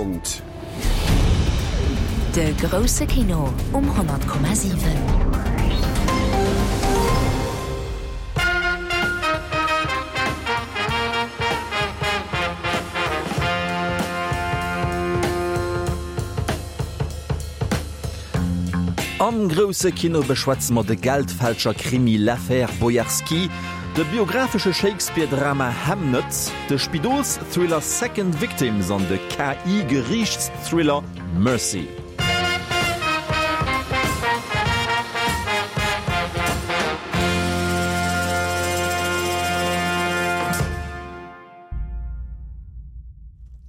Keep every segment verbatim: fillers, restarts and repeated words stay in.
fonnt. De grousse Kino um honnert Komma siwen. Am grousse Kino beschwätze mer de Geldfälscher-Krimi L'Affaire Boyarski, de biographesche Shakespeare-Drama Hamnet, de Spidols-Thriller Second Victims an de K I-Geriichtsthriller Mercy.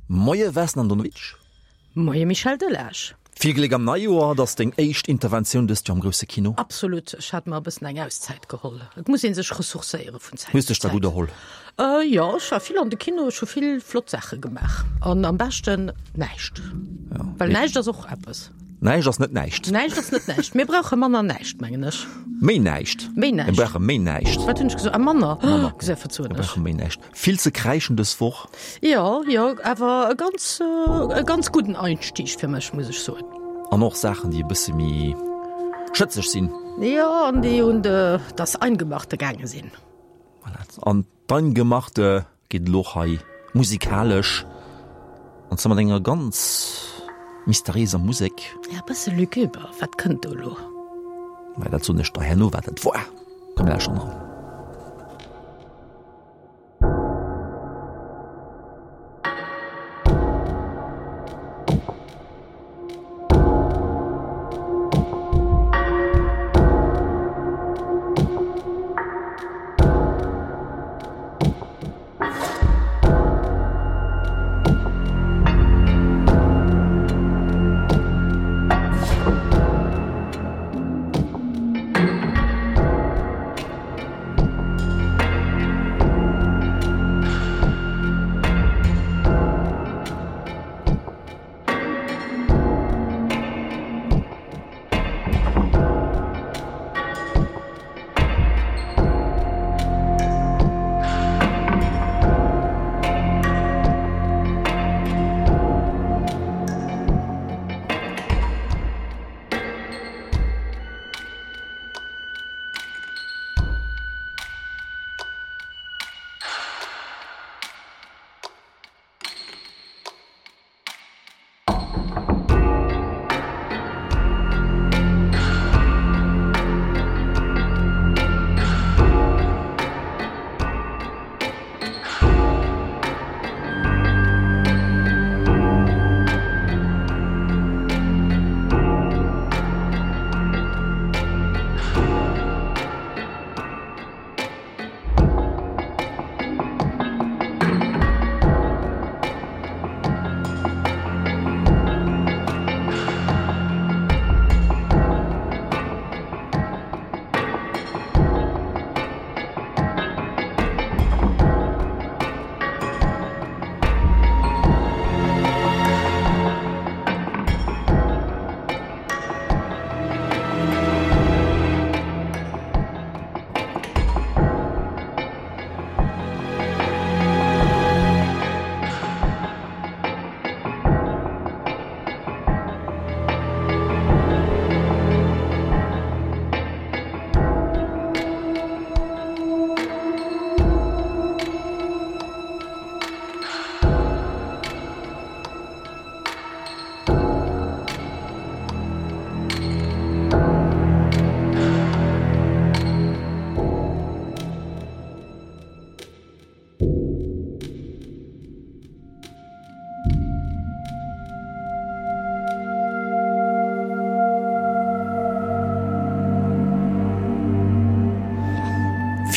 Moie Vesna Andonovic. Moie Michel Delage. Vill Gléck am Neijoer, et ass deng éischt Interventioun dëst Joer am grousse Kino. Absolut, ech hat mer e bëssen eng Auszäit geholl. Et muss ee sech ressourcéiere vun Zäit Hues zu dech da Zäit. gutt erholl? Jo, ech war vill an de Kino, ech hu vill flott Saache gemaach an am beschten näischt. Well näischt ass och eppes. Näischt ass net näischt. Näischt ass net näischt. Mir brauche manner näischt, mengen ech. Méi näischt. Méi näischt. Mir brauche méi näischt. Wat hunn ech gesot? Ah, manner. Manner. Gesäi verzoen Mir ech. brauche méi näischt. Vill ze kräischen dës Woch. Jo, jo, awer e ganz, e ganz gudden Einstieg fir mech, muss ech soen. An och Saachen, déi e bësse méi schëtzeg sinn. Jo, an déi un de, das Eingemachte gaange sinn. Voilà. An d'Eingemachte geet elo och hei musikalesch, an zwar mat enger ganz mysteriéiser Musek. Ja, e bësse luguber. Wat kënnt do elo? Mä dat soen ech der herno, wat dat war. Komm, mir lauschteren eran.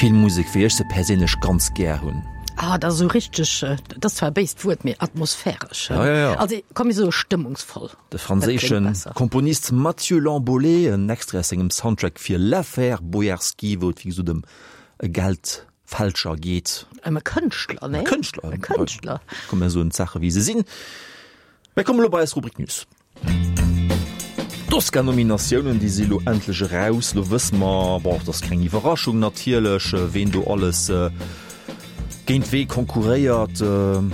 Vill Musek, wéi ech se perséinlech ganz gär hunn. Ah, dat ass esou richteg, dat ass zwar e béist Wuert, mee atmosphäresch. Ja, ja, ja. Also, komm mir soe stëmmungsvoll. De franséische Komponist Mathieu Lamboley, en Extrait aus sengem Soundtrack fir L'Affaire Boyarski, wou et wéi gesot ëm e Geldfälscher geet. Ëm e Kënschtler, nee? E Kënschtler. E Kënschtler. Komm, mir soen d'Saache wéi se sinn. Mir kommen elo bei eis Rubrik News. D'Oscar-Nominatiounen, déi si lo endlech eraus. Lo wësse mer, bon, et ass keng Iwwerraschung natierlech, ween do alles Géint wee konkurréiert?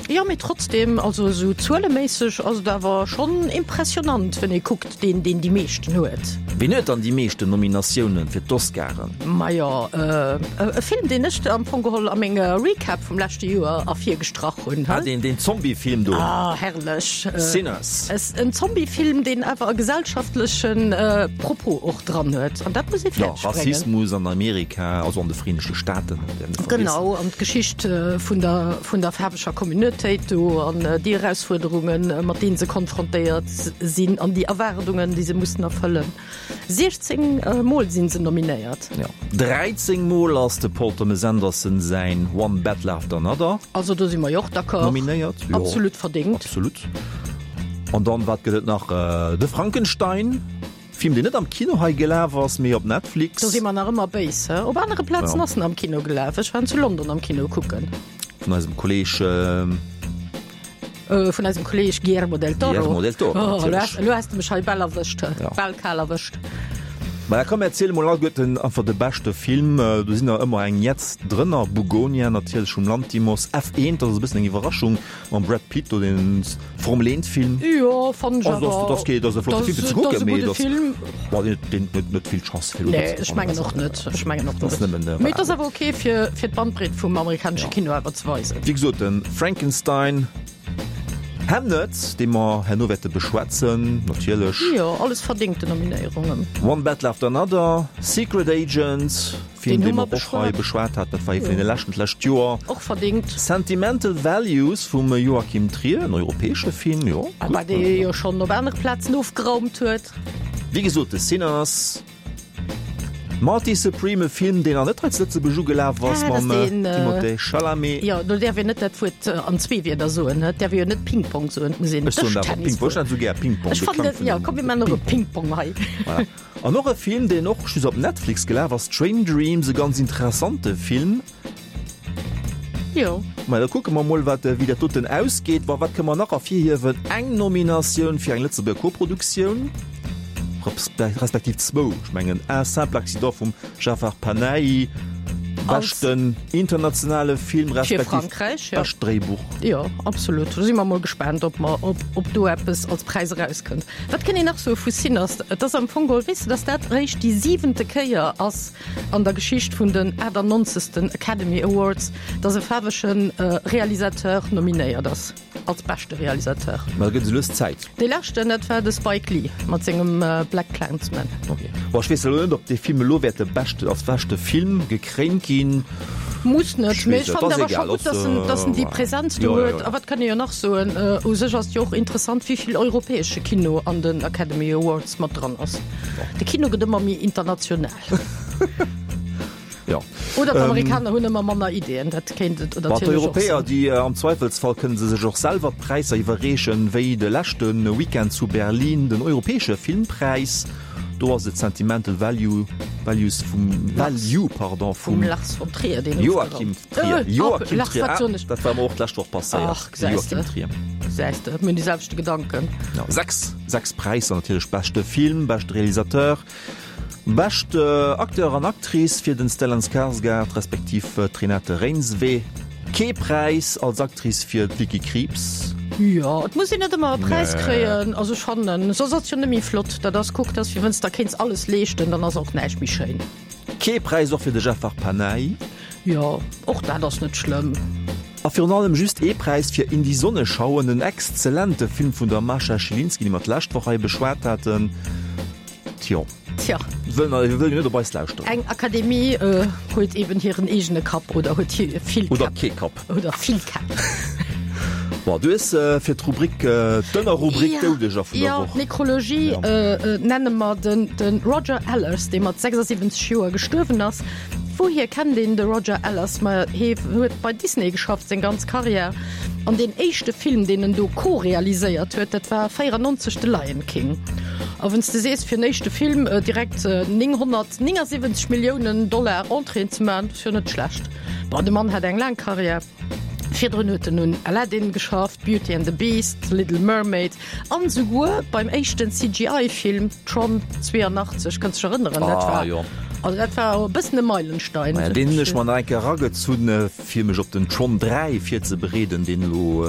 Jo, mee trotzdem, also esou zueleméisseg ass et awer schonn impressionant, wann ee kuckt, deen, deen déi meeschten huet. Ween huet dann déi meeschten Nominatiounen fir d'Oscaren? Majo, e Film, deen ech am Fong geholl a menger Recap vum leschte Joer ervirgestrach hunn. Ah, deen, deen Zombie-Film do. Ah, herrlech. Sinners. En Zombie-Film, deen awer e gesellschaftleche Propos och dran huet. An dat muss ee fäerdeg bréngen. Jo, Rassismus an Amerika, also an de Vereenegte Staaten. Genau, an d'Geschicht vun der, vun der faarweger Communautéit do an déi Erausfuerderungen, mat deene se konfrontéiert sinn an déi Erwaardungen, déi se mussen erfëllen. siechzéng Mol si se nominéiert. Jo, dräizéng Mol ass de Paul Thomas Anderson säin One Battle After Another. Also do si mer jo och d'accord. Nominéiert, jo. Absolut verdéngt. Absolut. An dann, wat gëtt et nach? De Frankenstein. Film deen net am Kino hei gelaf ass, mee op Netflix. Do si mer nach ëmmer béis, he? Op anere Plazen ass en am Kino gelaf. Ech war en zu London am Kino kucken. Vun eisem Kolleg. Vun eisem Kolleg Guillermo del Toro. Guillermo del Toro, natierlech. Oh, elo has de mech hei bal erwëscht, he? Bal kal erwëscht. Mä da komm, erziel emol alleguerten einfach de beschte Film. Do sinn der ëmmer eng Jetz drënner. Bugonia natierlech vum Lanthimos, F eent, dat ass e bëssen eng Iwwerraschung, mam Brad Pitt do, deen Formel eent Film. Jo, fannen ech awer. Also, dat ass kee, dat ass e flotte Film fir ze kucken, mee dat ass, bon, deen, deen huet net vill Chance fir elo Nee, ech mengen och net, ech mengen och net. Nëmmen, Mee et ass awer ok fir, fir d'Bandbreet vum amerikanesche Kino awer ze weisen. Wéi gesot, de Frankenstein. Hamnet, dee mer herno wäerte beschwätzen, natierlech. Jo, alles verdéngte Nominéierungen. One Battle After Another, Secret Agent, Film, dee mer och hei beschwat haten, dat war ee vun deene leschten d'lescht Joer. Och verdéngt. Sentimental Values vum Joachim Trier, en europäesche Film, jo, gutt. Bah, dee jo schonn op anere Plazen ofgeraumt huet. Wéi gesot, The Sinners. Marty Supreme, e Film, deen nach net hei zu Lëtzebuerg ugelaf ass, mam Timothée Chalamet. Jo, do däerf een net dat Wuert an zwee Wierder soen, et däerf ee jo net Ping-Pong soen, et muss een Ech soen awer Dëschtennis Ping-Pong, ech nennen esou gär Ping-Pong. Ech De fannen Klang dat, vun jo, dem komm mir maachen och e Ping-Pong hei. Voilà. An och e Film, deen och just op Netflix gelaf ass, Train Dreams, e ganz interessante Film. Jo. Mä da kucke mer mol, wat, wéi dat doten ausgeet. Bon, wat kënne mer nach ervirhiewen? Eng Nominatioun fir eng Lëtzebuerger Koproduktioun, respektiv zwou, ech mengen Un simple accident vum Jafar Panahi, beschten internationale Film, Fir respektiv Frankräich, jo. bescht Dréibuch. Jo, absolut. Do si mer mol gespaant, ob mer, ob, ob do eppes als Präis erauskënnt. Wat kënnt een nach soe vu Sinners? Et ass am Fong geholl, weess de, dass dat eréischt déi siwente Kéier ass, an der Geschicht vun den achtannonzegsten Academy Awards, dass e faarwege Realisateur nominéiert ass als beschte Realisateur. Mä da gëtt et lues Zäit. Dee leschten, dat war de Spike Lee mat sengem BlacKkKlansman. Ok. Bon, ech weess elo net, ob dee Film elo wäert de beschte, als beschte Film gekréint ginn. Muss net, mee ech Et fannen ass awer scho egal, gutt, dass en, dass en déi Präsenz do huet. A wat kann ee jo nach soen, u sech ass et jo och interessant, wéi vill europäesche Kino an den Academy Awards mat dran ass. De Kino gëtt ëmmer méi international. Jo. Oder d'Amerikaner hunn ëmmer manner Ideeën, dat kéint et Bon, natierlech och d'Europäer, sinn. déi am Zweifelsfall kënne se sech och selwer d'Präisser iwwerreechen, wéi de leschte Weekend zu Berlin den europäesche Filmpräis. Do ass et Sentimental Value, Values vum, Value, pardon, Vum vum Lars von Trier, deen Joachim ofgeraumt. Trier. Äh, Joachim Lars, Trier, wat ah, soen ech? dat war mer och d'lescht Woch passéiert. Ach, gesäis de. Joachim Trier. Gesäis de, mir hunn déi selwechte Gedanken. Ja, sechs, sechs Präisser natierlech, beschte Film, beschte Realisateur, beschte Acteur an Actrice fir den Stellan Skarsgård respektiv d'Renate Reinsve, kee Präis als Actrice fir d'Vicky Krieps. Jo, et muss een net ëmmer e Präis Nee. kréien, also ech fannen, soss ass et jo net méi flott. Dat ass, kuck, dat ass wéi wann s de der kéints alles leeschten, dann ass och näischt méi schéin. Kee Präis och fir de Jafar Panahi. Jo, och dat ass net schlëmm. A virun allem just ee Präis fir In die Sonne schauen, en exzellente Film vun der Mascha Schilinski, dee mer d'lescht Woch hei beschwat haten. Tjo. Tja. Wëllen wëll jo net op eis lauschteren. Eng Akademie huet eben hiren eegene Kapp oder huet vill Käpp. Oder kee Kapp. Oder vill Käpp. Bon, du hues fir d'Rubrik, d'Ënnerrubrik Doudeger vun der Woch. Jo, d'Nekrologie nenne mer den Roger Allers, dee mat sechsundsiwwenzeg Joer gestuerwen ass. Wouhier kennt een de Roger Allers? Ma hie huet bei Disney geschafft seng ganz Karriär. An deen éischte Film, deen en do co-realiséiert huet, dat war véierannonzeg The Lion King. A wann s de sees, fir en éischte Film direkt nénghonnertnéngasiwwenzeg Milliounen Dollar Entréeën ze maachen, dat ass jo net schlecht. Bon, de Mann hat eng laang Karriär. Virdrun huet en un Aladdin geschafft, Beauty and the Beast, Little Mermaid an esouguer beim éischten C G I-Film Tron zweiundachtzeg. Kënns dech erënneren? Dat Ah, war jo. Also dat war e bëssen e Meilenstein. Maja, deen hunn ech mer nach eng Kéier eragezunn, fir mech op den Tron dräi virzebereeden, deen elo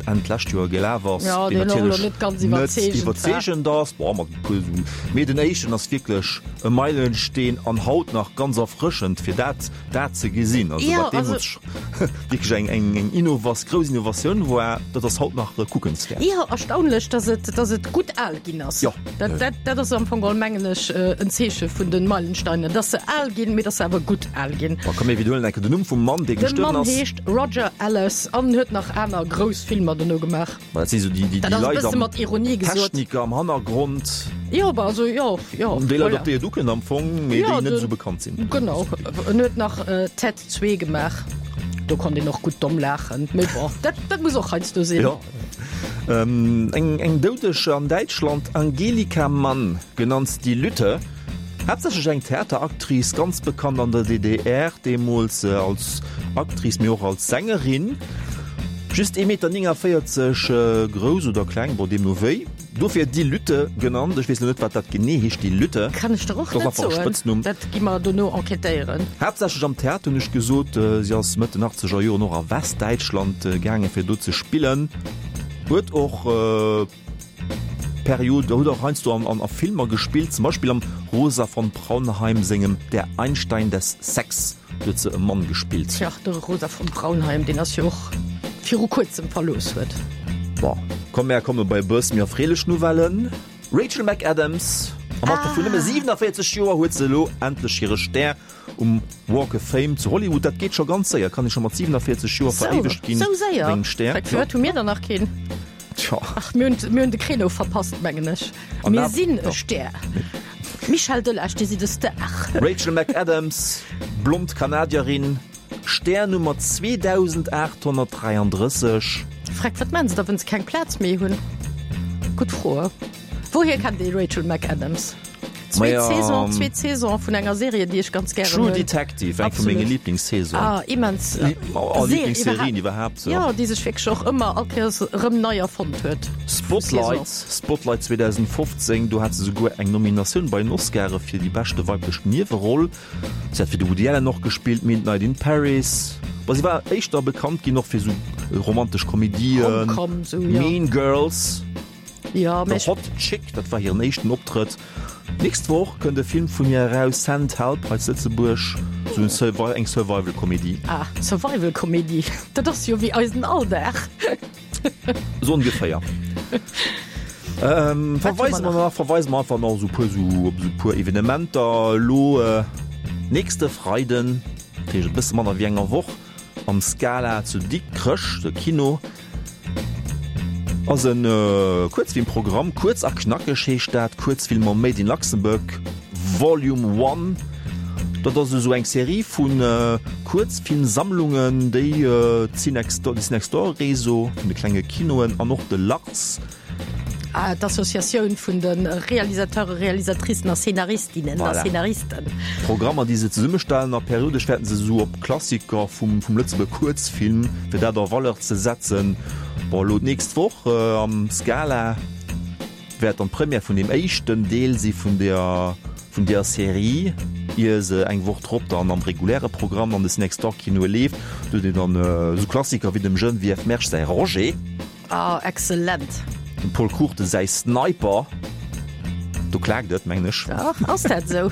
Enn d'lescht Joer gelaf ass, Ja, deen deen och elo natierlech net ganz net iwwerzeegend war. iwwerzeegend ass. Bon, mat e puer esou, mee den éischten ass wierklech e Meilenstein an haut nach ganz erfrëschend, fir dat dat ze gesinn. Also Ja, wat deemools also wierklech eng eng eng Innovas grouss Innovatioun war, dat ass haut nach kuckenswäert. Jo, erstaunlech, dass et dass et gutt al ginn ass. Jo. Dat dat dat ass am Fong geholl, mengen ech, en Zeeche vun de Meilensteinen, dass se al ginn, mee dass se awer gutt al ginn. Bon, komm mir widderhuelen eng Kéier den Numm vum Mann, dee De gestuerwen Mann ass. heescht Roger Allers an huet nach aner grouss Filmer dono gemaach. Ma dat si sou déi déi Dat déi ass e Leit bësse am mat Ironie gesot. Techniker am Hannergrond. Jo, bah, also jo, jo, Déi Leit, voilà. op déi et ukënnt am Fong, mee Jo, déi net de esou bekannt sinn. Genau. En huet nach Ted zwee gemaach. Do konnt een och gutt domm laachen. Mee bon, dat dat muss och heiansdo sinn. Jo. Eng eng Doudeg an Däitschland, Angelika Mann, genannt die Lütte, haaptsächlech eng Theateractrice, ganz bekannt an der D D R, deemools als Actrice, mee och als Sängerin. Just ee Meter néngavéierzeg grouss oder kleng, bon deemno wéi. Dofir die Lütte genannt. Ech weess lo net, wat dat genee heescht, die Lütte. Kann ech der och Dat ass net einfach e soen. Spëtznumm. Dat gi mer dono enquêtéieren. Haaptsächlech am Theater, hunn ech gesot. Si ass Mëtt den achtzeger Joren och a Westdäitschland gaangen, fir do ze spillen. Huet och Period, huet och heiansdo an a Filmer gespillt, zum Beispill am Rosa von Praunheim sengem Der Einstein des Sex, do huet se e Mann gespillt. Tja, de Rosa von Praunheim, deen ass jo och viru kuerzem verlooss huet. Bon, komm mär komme bei e bësse méi erfreelech Nouvellen. Rachel McAdams, am Alter vun nëmme siwenavéierzeg Joer huet se elo endlech hire Stär um Walk of Fame zu Hollywood. Dat geet scho ganz séier, kann ee scho mat siwenavéierzeg Joer veréiwegt ginn Sou séier? mat engem Stär. Firwat firwat hu mir der nach keen? Tja. Ach, mir hunn mir hunn de Créneau verpasst, mengen ech. An Mir dat, sinn e jo. Stär. Michel Delage, Dir sidd e Star. Rachel McAdams, blond Kanadierin, Stär Nummer zweedausendaathonnertdräiandrësseg. Freck, wat maan se da wann se keng Plaz méi hunn? Gutt Fro. Wouhier kennt ee Rachel McAdams? Zweet Maja, Saison, zweet Saison vun enger Serie, déi ech ganz gären True hunn. Detective, eng vu menge Absolut. Lieblingssaison. Ah, immens. Li oh, Serie Lieblingsserien iwwerhaapt. iwwerhaapt, ja. Jo, déi sech wierklech och ëmmer all Kéiers erëm nei erfonnt huet. Spotlight, Spotlight zweedausendfofzéng, do hat se souguer eng Nominatioun bei den Oscare fir déi beschte weiblech Nieweroll. Si hat fir de Woody Allen och gespillt, Midnight in Paris. Bon, si war éischter bekannt ginn och fir sou romantesch Komedien, Rom-Com, sou, jo. Mean Girls, Ja, The mee ech. Hot Chick, dat war hiren éischten Optrëtt. D'nächst Woch kënnt e Film vun hir eraus, Send Help, hei zu Lëtzebuerg, sou en Survi eng Survival-Komedie. Ah, Survival-Komedie, dat ass jo wéi eisen Alldag. Sou ongeféier. Ähm, Wat hu verweise mer mer nach? nach, verweise mer einfach nach sou puer, sou op sou puer Evenementer. Elo äh, nächste Freiden, dat heescht e bësse manner wéi enger Woch, am Scala zu Dikrech, de Kino, ass en Kuerzfilmprogramm. Kuerz a knackeg heescht dat, Kuerzfilmer Made in Luxembourg Volume One. Dat ass esou eng Serie vu Kuerzfilmsammlungen, déi d'Cinextor, de Cinextor-Réseau vun de klenge Kinoen an och de Lars, Ah, d'Associatioun vun de Realisateuren, Realisatricen a Scenaristinnen a Voilà. Scenaristen. Programmer, déi se zesummestellen a periodesch wäerten se esou op Klassiker vum, vum Lëtzebuerger Kuerzfilm, fir dat a Valeur ze setzen. Bon, elo d'nächst Woch am Scala wäert dann d'Première vun deem éischten Deel si vun der, vun där Serie, ier se eng Woch drop dann am reguläre Programm an de Cinextor-Kinoe leeft. Do huet een dann esou Klassiker wéi dem Geneviève Mersch säi Roger. Ah, excellent. Dem Pol Cruchten säi Sniper, do klaakt et, mengen ech. Ach, ass dat esou?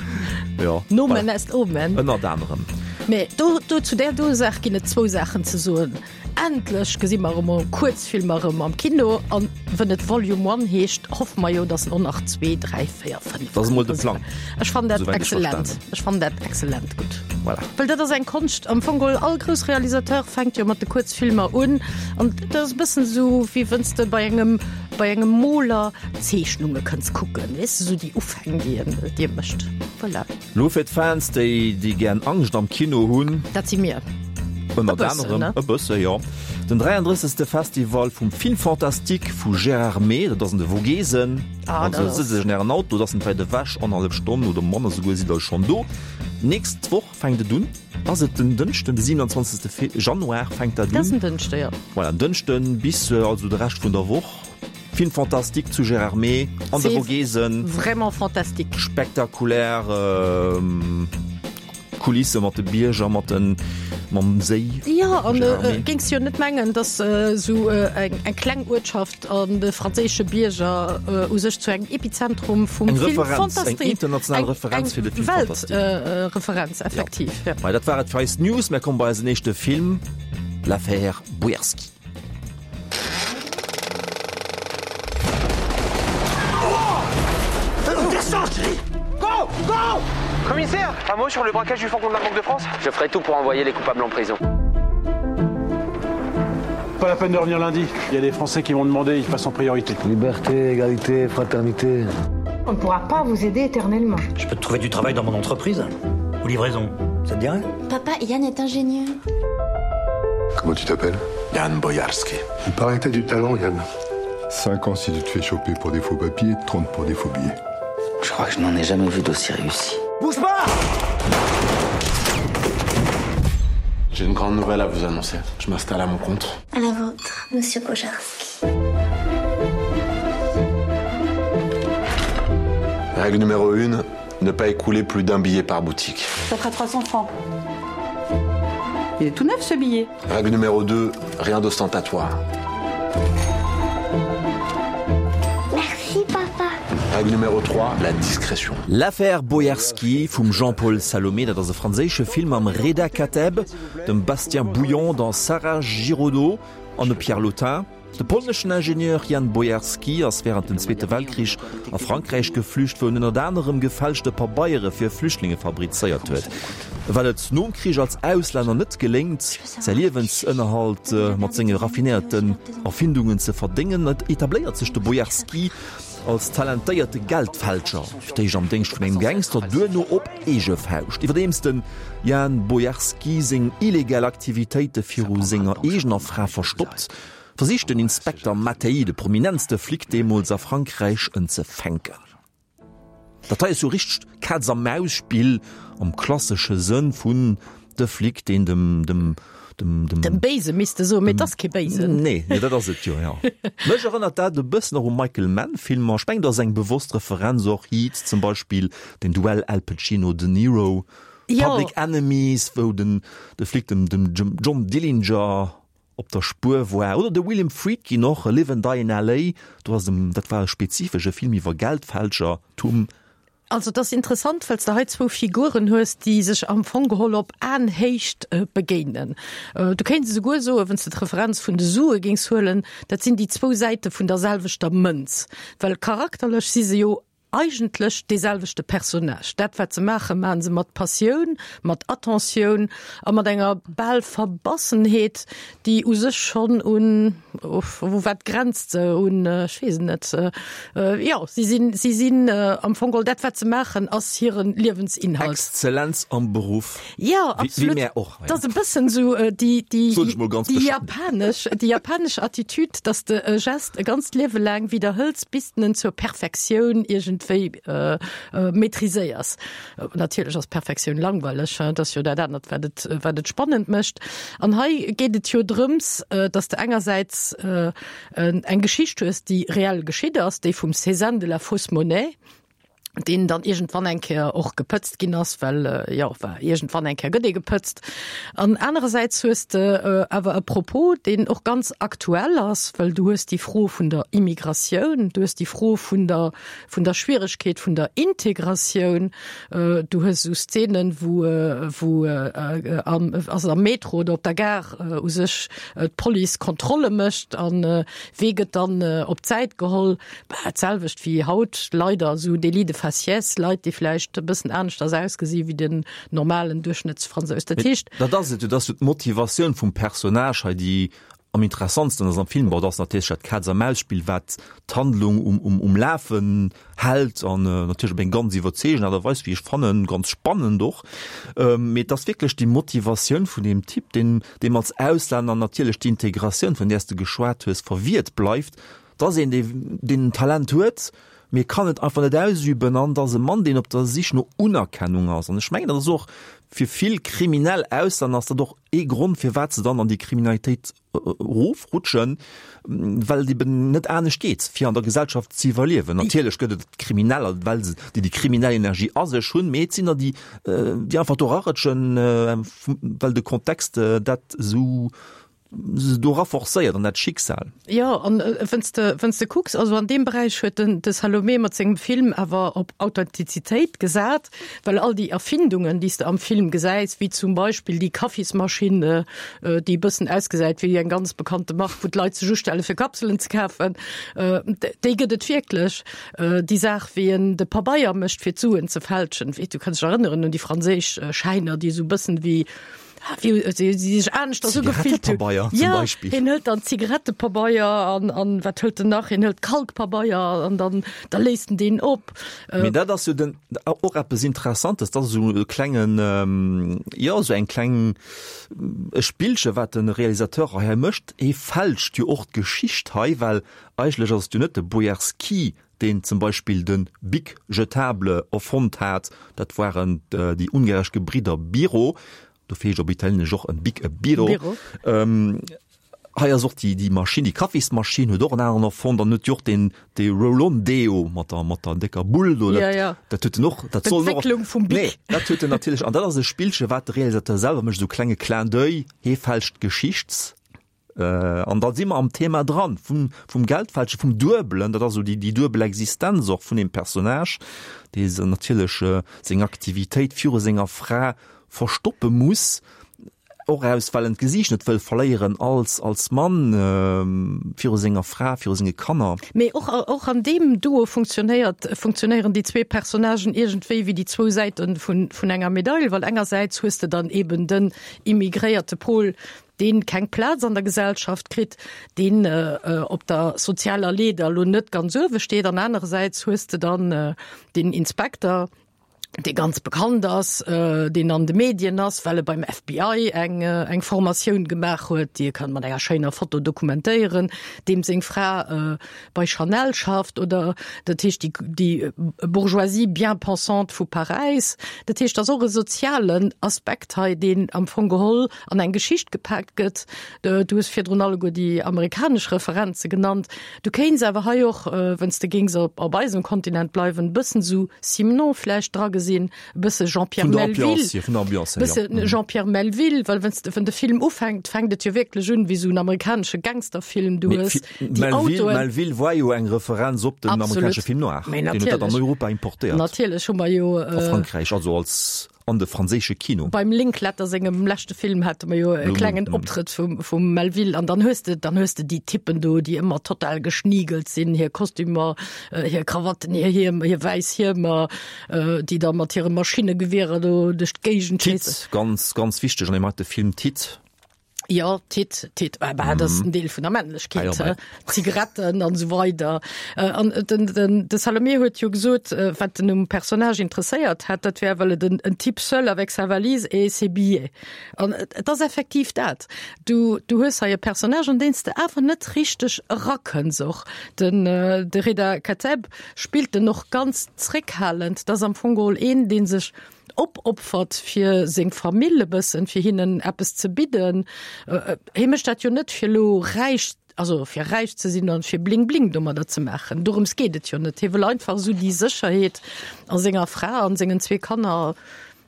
Jo. Nomen est omen. Ënnert anerem. Mee do, do zu där do Saach ginn et zwou Saachen ze soen. Endlech gesi mer erëm emol Kuerzfilmer erëm am Kino an wënn et Volume One heescht, hoffe mer jo, dass en och nach zwee, dräi, véier, fënnef Dat ass emol de kënnt. Plang. Ech fannen dat Souwäit ech excellent. verstanen. Ech fannen dat excellent gutt. Voilà. Well dat ass eng Konscht. Am Fong geholl, all grouss Realisateur fänkt jo mat de Kuerzfilmer un. An dat ass e bëssen esou, wéi wënn s de bei engem, bei engem Moler Zeechnunge kënns kucken, weess de, esou déi Ufäng, déi en, déi e mécht. Voilà. Lo fir d'Fans, déi, déi gären Angscht am Kino hunn. Dat si mir. Ënnert E bëssen, anerem. ne? E bësse, jo. Den dräiandrëssegste Festival vum Film Fantastique vu Gérardmer, dat ass an de Vogesen. Ah, Also dat ass. sëtzt Iech an Ären Auto, dat ass net wäit ewech, annerhallef Stonn oder manner souguer sidd Der schonn do. D'nächst Woch fänkt et un. Ass et den Dënschden, de siewenundzwanzegste Fe Januar fänkt dat Dat ass un. en Dënschde, jo. Voilà, en Dënschden bis also de Rescht vun der Woch. Film fantastique zu Gérardmer an de Vogesen. Vraiment fantastique. Spektakulär Kulisse mat de Bierger, mat den, mam Séi. Jo, an géings jo net mengen, datt esou eng kleng Uertschaft an de franséische Bierger u sech zu engem Epizentrum vum Film fantastique. Eng international Referenz fir de Film fantastique. Weltreferenz, effektiv, jo. Mei, dat war et fir eis News. Mär komme bei eisen éischte Film, L'Affaire Boyarski. Go Commissaire, un mot sur le braquage du fourgon de la Banque de France Je ferai tout pour envoyer les coupables en prison. Pas la peine de revenir lundi. Il y a des Français qui vont demander, ils passent en priorité. Liberté, égalité, fraternité. On ne pourra pas vous aider éternellement. Je peux te trouver du travail dans mon entreprise ou livraison. Ça te dirait Papa, Yann est ingénieur. Comment tu t'appelles Yann Boyarski. Il paraît que t'as du talent, Yann. Cinq ans si tu te fais choper pour des faux papiers, trente pour des faux billets. Je crois que je n'en ai jamais vu d'aussi réussi. Bouge pas J'ai une grande nouvelle à vous annoncer. Je m'installe à mon compte. À la vôtre, monsieur Bojarski. Règle numéro une, ne pas écouler plus d'un billet par boutique. Ça fera trois cents francs. Il est tout neuf ce billet. Règle numéro deux, rien d'ostentatoire. Merci papa. Règle numéro trois, la discrétion. L'Affaire Boyarski vum Jean-Paul Salomé, dat ass e franséische Film mam Reda Kateb, dem Bastien Bouillon, der Sarah Giraudeau an dem Pierre Lottin. De polneschen Ingenieur Jan Boyarski ass wärend dem Zweete Weltkrich a Frankräich geflücht, wou en ënnert anerem gefälschte Pabeiere fir Flüchtlinge fabrizéiert huet. Well et nom Krich als Auslänner net geléngt, säi Liewensënnerhalt mat senge raffinéierten Erfindungen ze verdéngen, etabléiert sech de Boyarski als talentéierte Geldfälscher, fir d'éischt am Déngscht vun engem Gangster, duerno op eege Fauscht. Iwwerdeems de Jan Boyarski seng illegal Aktivitéite viru senger eegener Fra verstoppt, versicht den Inspekter Mattei, de prominentste Flic deemools a Frankräich, en ze fänken. Dat hei ass jo richtegt Katz-a-Maus-Spill am klassesche Sënn vun de Flic, deen dem, dem, dem, dem. Dem Béise misst de soen, mee et ass kee Béisen. Nee, nee, dat ass et jo, jo. Mech erënnert dat e bëssen och u Michael Mann-Filmer. Ech mengen, dat ass eng bewosst Referenz och, Heat zum Beispill, den Duell Al Pacino-De Niro, Public Enemies, wou den, de Flic dem, dem John Dillinger op der Spuer war, oder de William Friedkin och, Live and Die in L A. Do ass em, dat war e spezifesche Film iwwer Geldfälschertum. Also et ass interessant, well s de hei zwou Figuren hues, déi sech am Fong geholl op Aenhéicht begéinen. Du kéints esouguer soen, wann s de d'Referenz vun de Sue géings huelen, dat sinn déi zwou Säite vun der selwechter Mënz, well charakterlech si se jo eigentlech dee selwechte Personnage. Dat wat se maachen, maache se mat Passioun, mat Attentioun a mat enger bal Verbassenheet, déi u sech schonn un, u wat grenzt se, un, ech weess et net, jo, si sinn, si sinn am Fong geholl, dat wat se maachen, ass hire Liewensinhalt. Exzellenz am Beruff. Jo, absolut. Wéi mär och. Dat ass e bëssen esou déi, déi, Soen ech mol ganz déi bescheiden. japanesch, déi japanesch Attitüd, dass de e Gest e ganzt Liewe laang widderhëls, bis de en zur Perfektioun iergendwéi maîtriséiers. Natierlech ass Perfektioun langweileg, dat ass jo dat anert, wat et, wat et spannend mécht. An hei geet et jo drëms, dass de engersäits eng Geschicht hues, déi reell geschitt ass, déi vum Cézanne de la fausse monnaie, deen dann iergendwann eng Kéier och gepëtzt ginn ass, well, jo, war iergendwann eng Kéier gëtt ee gepëtzt. An anerersäits hues de awer e Propos, deen och ganz aktuell ass, well du hues déi Fro vun der Immigratioun, du hues déi Fro vun der, vun der Schwieregkeet vun der Integratioun, du hues esou Szenen, wou, wou am, also am Metro oder op der Gare u sech d'Police Kontrolle mécht an wee gëtt dann op d'Säit geholl, bah, d'selwecht wéi haut leider esou Délits de faciès, Leit, déi vläicht e bëssen aneschters ausgesi wéi den normalen Duerchschnëttsfransous. Dat heescht. Dat ass et jo, dat ass jo d'Motivatioun vum Personnage hei, déi am interessantsten ass am Film. Bon, dat ass natierlech dat Kaz-a-Maus-Spill, wat d'Handlung um, um, um Lafen hält an natierlech op eng ganz iwwerzeegend Aart a Weis, wéi ech fannen, ganz spannend och. Mee et ass wierklech déi Motivatioun vun deem Typ, deen, deem als Auslänner natierlech d'Integratioun, vun där s de geschwat hues, verwiert bleift. Et ass een, dee, deen en Talent huet, mee kann et einfach net ausüben an et ass e Mann, deen op der Sich no Unerkennung ass. An ech mengen, dat ass och fir vill kriminell Auslänner ass dat och ee Grond firwat se dann an déi Kriminalitéit erofrutschen, well et eben net anescht geet, fir an der Gesellschaft ze iwwerliewen. Natierlech gëtt et Krimineller, well se, déi déi kriminell Energie a sech hunn, mee et sinn der, déi, déi einfach do erarutschen, well de Kontext dat esou se dora forcéiert an dat Schicksal. Jo, an wënn s de, wënn s de kucks, also an deem Beräich huet den, de Salomé mat sengem Film awer op Authentizitéit gesat, well all déi Erfindungen, déi s de am Film gesäis, wéi zum Beispill déi Kaffismaschinn, déi e bëssen ausgesäit wéi eng ganz bekannte Mark, wou d'Leit sech ustelle fir Kapselen ze kafen, déi gëtt et wierklech. Déi Saach, wéi en de Pabeier mécht fir d'Suen ze fälschen, du kanns dech erënneren un déi franséisch Schäiner, déi esou e bëssen wéi wéi si sech aneschters ugefillt hunn. Zigarettepabeier zum Ja, Beispill. hien hëlt dann Zigarettepabeier an, an wat hëlt en nach? Hien hëlt Kalkpabeier an dann, da léist en deen op. Mee dat ass jo den, och eppes Interessantes, dat ass esou e klengen, jo, esou eng kleng, e Spillche wat de Realisateur hei mécht. Hie fälscht jo och d'Geschicht hei, well eigentlech ass et jo net de Bojarsky, deen zum Beispill de Bic jetable erfonnt hat, dat waren déi ungaresch Gebridder Biro, Dofir heescht op Italieenesch och en Bic e Biro. Biro. Ähm, hei ass och déi, déi Maschinn, déi Kaffismaschinn huet och en aneren erfonnt an huet jo och deen, dee Roll-on-Deo mat der, mat der décker Bull do, dat, Ja, ja. dat huet en och, dat soll en och, D'Entwécklung vum Bic. Nee, dat huet en natierlech, an dat ass e Spillche wat de Realisateur selwer mécht, esou klenge Clin d'oeil, hee fälscht d'Geschichts. An da si mer am Thema dran, vum, vum Geldfälschen, vum Duebelen, dat ass esou déi, déi duebel Existenz och vun deem Personnage, dee se natierlech seng Aktivitéit viru senger Fra verstoppe muss, och aus, well en d'Gesiicht net wëll verléieren als, als Mann, viru senger Fra, viru senge Kanner. Mee och, och an deem Duo funktionéiert, funktionéieren déi zwee Personnagen iergendwéi wéi déi zwou Säite vun, vun enger Medail, well engersäits hues de dann eben den immigréierte Pol, deen keng Plaz an der Gesellschaft kritt, deen op der sozialer Leeder elo net ganz uewe steet, an anerersäits hues de dann den Inspekter, dee ganz bekannt ass, deen an de Medien ass, well e beim F B I eng eng Formatioun gemaach huet, déi e kann mat enger schéiner Foto dokumentéieren, deem seng Fra bei Chanel schafft, oder dat heescht déi déi Bourgeoisie bien-pensante vu Paräis. Dat heescht, et ass och e sozialen Aspekt hei, deen am Fong geholl an eng Geschicht gepaakt gëtt. Du hues virdrun alleguer déi amerikanesch Referenze genannt. Du kéints awer hei och, wann s de géings op op eisem Kontinent bleiwen, e bëssen esou Simenon vläicht dra gesinn, e bësse Jean-Pierre Vun der Melville, Ambiance hier, vun der Ambiance hier, bësse ja. Jean-Pierre Melville, well wann s de, wann de Film ufänkt, fänkt et jo wierklech un wéi esou en amerikanesche Gangsterfilm. Du Mee hues Fi- déi Melville, Autoen. Melville war jo eng Referenz op den Absolut. amerikanesche Film noir. Mee Deen huet dat an natierlech. Europa importéiert. Natierlech hu mer jo, A Frankräich, also als an de franséische Kino. Beim Linklater sengem leschte Film hate mer jo e klengen Optrëtt vum, vum Melville. An dann hues de, dann hues de déi Typen do, déi ëmmer total geschniegelt sinn, hir Kostümer, hir Krawatten, hir Hiem, hir wäiss Hiemer, déi da mat hire Maschinnegewierer do duerch d'Géigend Tit, schéissen. ganz, ganz wichteg an deem heite Film, Tit. Jo, Tit, Tit, ah bah, dat ass en Deel vun der Männlechkeet, Ah jo, Zigaretten an esou weider. An den, den, de Salomé huet jo gesot, wat en um Personnage interesséiert hätt, dat wär, well et en, en Type seul avec sa valise et ses billets. An et ass effektiv dat. Du, du hues hei e Personnage, an deen s de awer net richteg erakënns och. Den, de Reda Kateb spillt en och ganz zréckhalend. Dat ass am Fong geholl een, dee sech opopfert fir seng Famill e bëssen, fir hinnen eppes ze bidden. Hie mécht dat jo net fir elo räich, also fir räich ze sinn an fir Bling Bling domadder ze maachen. Dorëms geet et jo net. Hie wëll einfach esou déi Sécherheet a senger Fra an sengen zwee Kanner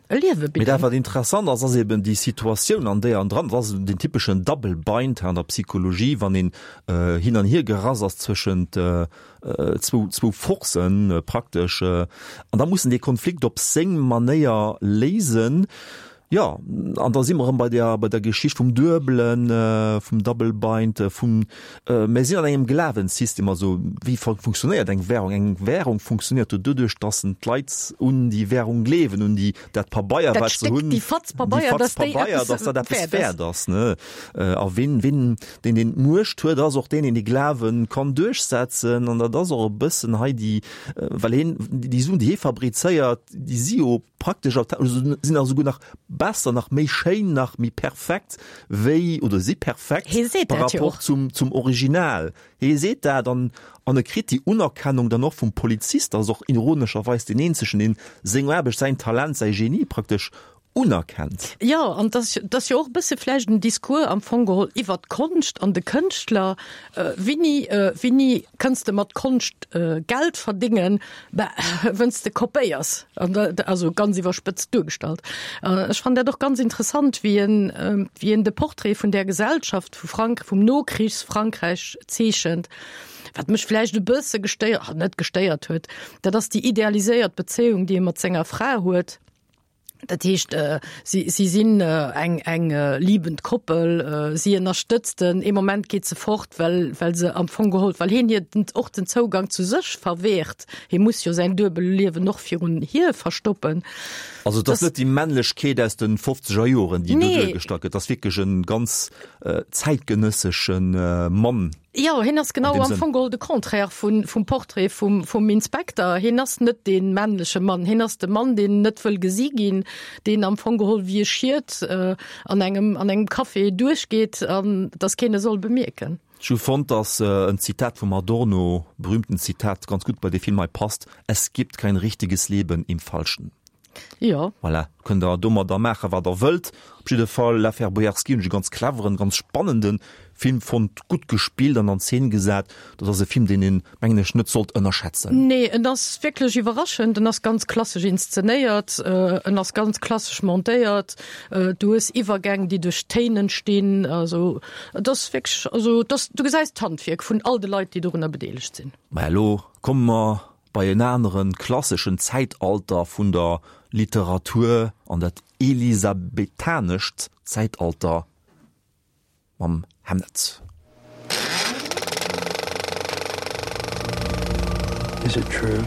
e Liewe Mee dat bidden. wat interessant ass, ass eben déi Situatioun an déi en dran ass, den typeschen Double Bind an der Psychologie, wann een hin an hier gerass ass zwëschent zwou, zwou Forcen praktesch, an da muss en dee Konflikt op seng Manéier léisen. Jo, an da si mer erëm bei der, bei der Geschicht vum Duebelen, vum Double Bind, vum, mir sinn an engem Glawenssystem, also wéi funktionéiert eng Währung? Eng Währung funktionéiert jo doduerch, dass d'Leit un déi Währung gleewen, un déi, dat Pabeier, Dat wat se Stéck, hunn, déi Fatz déi Pabeier, Fatz dass déi Pabeier, eppes dass dat eppes wäert ass. wäert ass, ne? A wien, wien, deen, deen d'Muecht huet, ass och deen, deen de Glawe kann duerchsetzen. An dat ass och e bëssen hei déi, well hien, déi Suen, déi hie fabrizéiert, déi si jo praktesch, also sinn nach esouguer nach besser, nach méi schéin, nach méi perfekt wéi, oder si perfekt Hie seet par dat jo rapport och. zum, zum Original. Hie seet dat an, an e kritt déi Unerkennung dann och vum Polizist, ass och ironescherweis deen eenzegen, deen seng Aarbecht, säin Talent, säi Genie praktesch unerkennt. Jo, an dat ass jo och e bësse vläicht en Discours am Fong geholl iwwert d'Konscht an de Kënschtler. Wéini, wéini kënns de mat Konscht Geld verdéngen? Bah, wënn s de kopéiers. An da, also ganz iwwerspëtzt duergestallt. Ech fannen dat och ganz interessant, wéi en, wéi en de Portrait vun där Gesellschaft vu Frank, vum Nokrichsfrankräich zeechent. Wat mech vläicht e bësse gestéiert, net gestéiert huet, dat ass déi idealiséiert Bezéiung, déi e mat senger Fra huet. Dat heescht, si, si sinn eng, eng liebend Koppel, si ënnerstëtzt en, ee Moment geet se fort, well, well se am Fong geholl, well hien hir den, och den Zougang zu sech verwehrt. Hie muss jo säin Duebelliewen och virun hir verstoppen. Also et ass net déi Männlechkeet aus de fofzeger Joren, déi do duergestallt gëtt, et ass wierklech e ganz zäitgenëssesche Mann. Jo, hien ass genau am Fong geholl de Contraire vun, vum Portrait vum, vum Inspekter. Hien ass net dee männleche Mann, hien ass de Mann, deen net wëll gesi ginn, deen am Fong geholl wéi e Schiet an engem, an engem Café duerchgeet an dass keen e soll bemierken. Ech hu fonnt, dass en Zitat vum Adorno, berühmten Zitat, ganz gutt bei dee Film hei passt, Es gibt kein richtiges Leben im Falschen. Jo. Voilà, kënnt der domadder maachen, wat der wëllt. Op jidde Fall, L'Affaire Boyarski hunn ech e ganz cleveren, ganz spannende Film fonnt, gutt gespillt an an Zeen gesat. Dat ass e Film, deen een, mengen ech, net sollt ënnerschätzen. Nee, en ass wierklech iwwerraschend. En ass ganz klassesch inszenéiert, en ass ganz klassesch montéiert. Du hues Iwwergäng, déi duerch Téin entstinn. Also, et ass wierklech, also et ass, du gesäis d'Handwierk vun all de Leit, déi dorunner bedeelegt sinn. Mä elo komme mer bei en aneren klasseschen Zäitalter vun der Literatur, an dat elisabethanescht Zäitalter mam Hamnet. Is it true?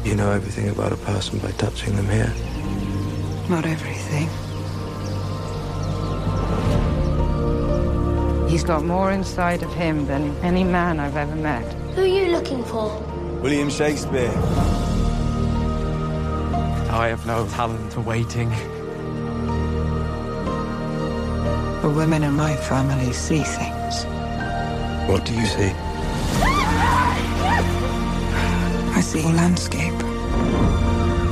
You know everything about a person by touching them here? Not everything. He's got more inside of him than any man I've ever met. Who are you looking for? William Shakespeare. I have no talent for waiting. The women in my family see things. What do you see? I see a landscape.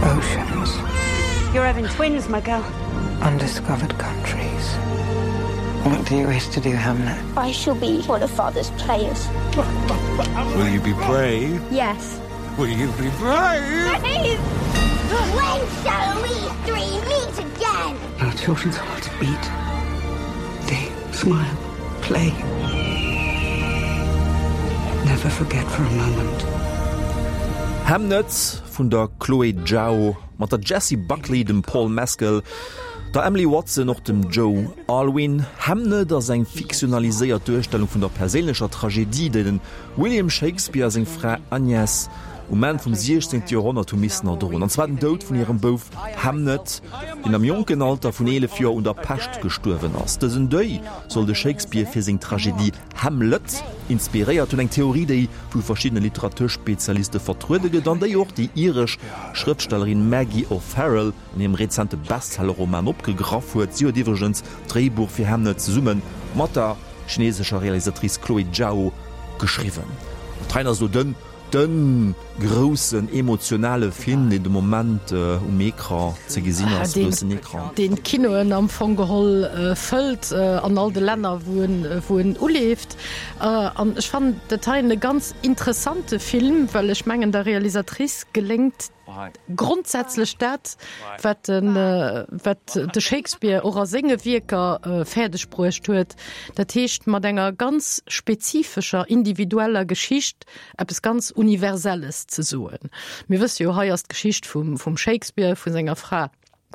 Oceans. You're having twins, my girl. Undiscovered countries. What do you wish to do, Hamlet? I shall be one of father's players. Will you be brave? Yes. Will you be brave? Brave! When shall we three meet again? Our children's hearts beat. They smile, play. Never forget for a moment. Hamnet vun der Chloé Zhao mat der Jessie Buckley, dem Paul Mescal, der Emily Watson och dem Joe Alwyn. Hamnet ass eng fiktionaliséiert Duerstellung vun der perséinlecher Tragedie, déi den William Shakespeare a seng Fra Agnes um Enn vum siechzéngte Joerhonnert hu missen erdroen, an zwar den Doud vun hirem Bouf Hamnet, deen am jonken Alter vun eelef Joer un der Pescht gestuerwen ass. Dësen Deuil soll de Shakespeare fir seng Tragedie Hamlet inspiréiert hunn, eng Theorie, déi vu verschiddene Literaturspezialiste vertruede gëtt an déi och déi iresch Schrëftstellerin Maggie O'Farrell an hirem rezente Bestsellerroman opgegraff huet. Si huet iwwregens d'Dréibuch fir Hamnet zesumme mat der chinesescher Realisatrice Chloé Zhao geschriwwen. D'Rein ass elo den De groussen emotionale Film, deen de Moment um Ecran ze gesinn ass, groussen Ecran. Deen d'Kinoen am Fong geholl fëllt an all de Länner, wou en, wou en uleeft. An ech fannen dat heien e ganz interessante Film, well ech mengen, der Realisatrice geléngt grondsätzlech dat, wat de, wat de Shakespeare och a senge Wierker fäerdeg bruecht huet, dat heescht mat enger ganz spezifescher, individueller Geschicht eppes ganz Universelles ze soen. Mir wësse jo, hei ass d'Geschicht vum, vum Shakespeare, vu senger Fra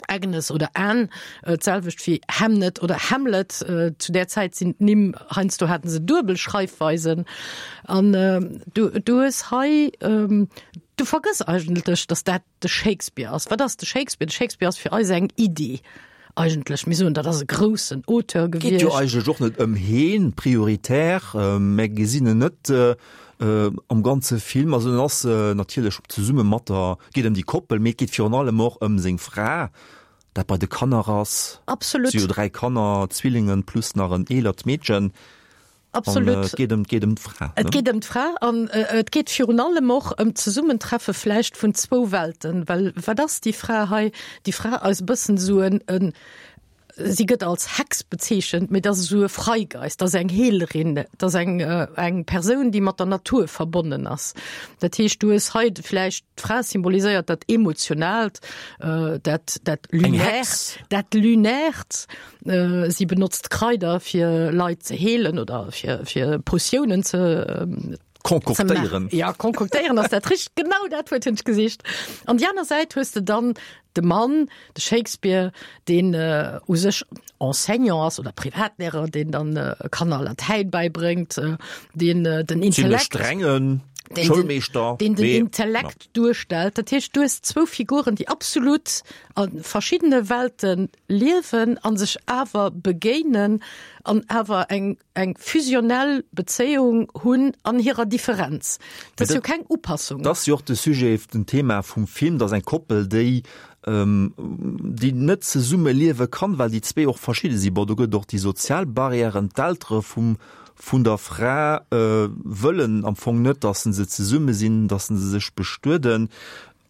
Agnes oder Anne, d'selwecht wéi Hamnet oder Hamlet. Zu där Zäit sinn d'Nimm, heiansdo haten se duebel Schreifweisen. An du, du hues hei, du vergëss eigentlech, datt dat de Shakespeare ass. Wat ass de Shakespeare? De Shakespeare ass fir eis eng Iddi eigentlech. Mir soen, dat ass e groussen Auteur Geet jo gewiescht. eigentlech och net ëm heen prioritär, mä gesinn en net am ganze Film. Also en ass natierlech zesumme mat der, geet ëm déi Koppel, mee et geet virun allem och ëm seng Fra, dat bei de Kanner ass. Absolut. Si hu dräi Kanner, Zwillingen plus nach en eelert Meedchen. Absolut. An, äh, et geet ëm, geet ëm d'Fra. Et geet ëm d'Fra an äh, et geet virun allem och ëm d'Zesummentreffe vläicht vun zwou Welten, well wat ass déi Fra hei? Déi Fra ass e bëssen esou en, en si gëtt als Hex bezeechent, mee dat ass esou e Freigeist, dat ass eng Heelerin, dat ass eng, äh, eng Persoun, déi mat der Natur verbonnen ass. Dat heescht, du hues hei vläicht d'Fra symboliséiert dat Emotionaalt, äh, dat, dat Lunärt, dat Lunärt. Äh, si benotzt Kraider fir Leit ze heelen oder fir, fir Potiounen ze ähm, Konkoktéieren. Ja, konkoktéieren ass dat richtegt, genau dat Wuert hunn ech gesicht. An déi aner Säit hues de dann de Mann, de Shakespeare, deen äh, u sech Enseignant ass oder Privatlehrer, deen dann äh, Kanner Latäin beibréngt, äh, deen äh, den Ziemlech Intellekt strengen deen den, Schoulmeeschter. deen den mee- Intellekt duerstellt. Dat heescht, du hues zwou Figuren, déi absolut a verschiddene Welte liewen an sech awer begéinen an awer eng, eng fusionell Bezéiung hunn an hirer Differenz. Dat ass jo keng Upassung. Dat ass jo och de Sujet, den Thema vum Film, dass eng Koppel, déi ähm, déi net zesumme liewe kann, well déi zwee och verschidde sinn. Bon, do gëtt och déi sozial Barrièren, d'Eltere vum vun der Fra äh, wëllen am Fong net, dass se zesumme sinn, dass se sech bestueden.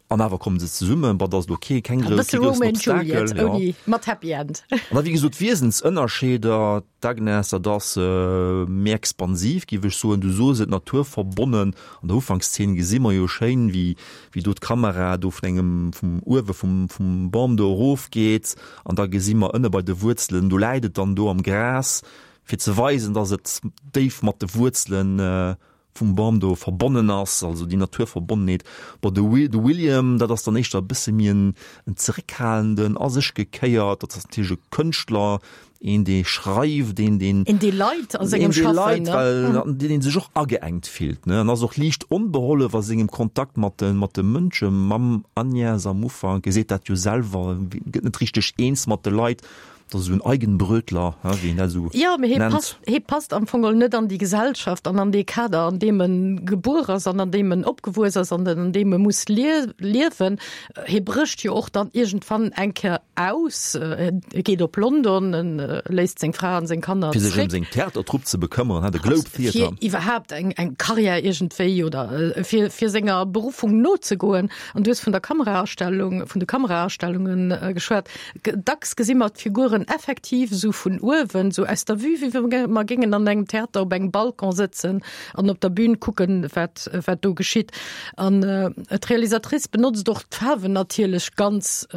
An awer kommen se zesummen, bon, dat ass okay, keng E bësse kee groussen Romeo and Obstakel, Juliet, ja. ouni mat Happy End. An da wéi gesot Wiesensënnerscheeder, d'Agnes, dat ass äh, méi expansiv, géif ech soen, du soos et naturverbonnen. An der Ufankszeen gesi mer jo schéin, wéi, wéi do d'Kamera do vun engem vum uewe vum, vum Bam do erofgeet an da gesi mer ënne bei de Wuerzelen, do läit et dann do am Gras, fir ze weisen, dass et déif mat de Wuerzelen äh, vum Bam do verbonnen ass, also déi Naturverbonnenheet. Bon, de, Wi de William, dat ass dann éischter e bësse méi en, en zeréckhalenden, a sech gekéiert, dat ass natierlech e Kënschtler, een dee schreift, een deen Een dee leit a sengem een dee Schaffen, leit, ne? well an deen sech och ageengt fillt, ne? An ass och liicht onbehollef a sengem Kontakt mat de mat de Mënsche, mam Agnes am Ufank, e seet dat jo selwer, gëtt net richteg eens mat de Leit. Dat ass esou en Eigenbrötler, hein, wéi een dat esou Jo, mee hie nennt. passt, hie passt am Fong geholl net an déi Gesellschaft an an dee Kader, an deem en gebuer ass an an deem en opgewuess ass an an deem e muss lie liewen. Hie brécht jo och dann iergendwann eng Kéier aus, e geet op London, en léisst seng Fra an seng Kanner Fir sech ëm zréck. seng Theatertrupp ze bekëmmeren, hein, de Globe Fir Theatre. iwwerhaapt eng, eng Karriär iergendwéi oder fir, fir senger Beruffung nozegoen. An du hues vun der Kameraastellung, vun de Kameraastellungen geschwat. Dacks gesi mer d'Figuren effektiv esou vun uewen, esou aus der Vue, wéi wa mer géingen an engem Theater op engem Balcon sëtzen an op der Bühn kucken, wat, wat do geschitt. An d'Realisatrice benotzt och d'Faarwen natierlech ganz,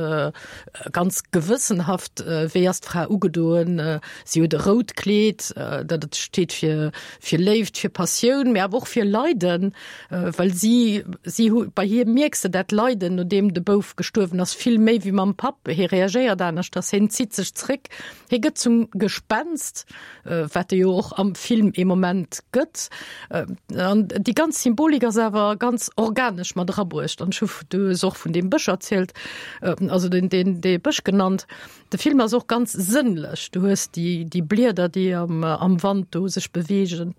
ganz gewëssenhaft. Wéi ass d'Fra ugedoen? Si huet e rout Kleed, dat steet fir, fir Léift, fir Passioun, mee awer och fir Leiden, well si, si hu, bei hir mierks de dat Leiden, nodeem de Bouf gestuerwen ass, vill méi wéi mam Papp. Hie reagéiert aneschters, hien zitt sech zréck, hie gëtt zum Gespenst, wat e jo och am Film ee Moment gëtt. An déi ganz Symbolik ass awer ganz organesch mat erabruecht. An ech hu, du hues och vun deem Bësch erzielt, also den, den, dee Bësch genannt. De Film ass och ganz sënnlech. Du hues déi, déi Blieder, déi am, am Wand do sech beweegen.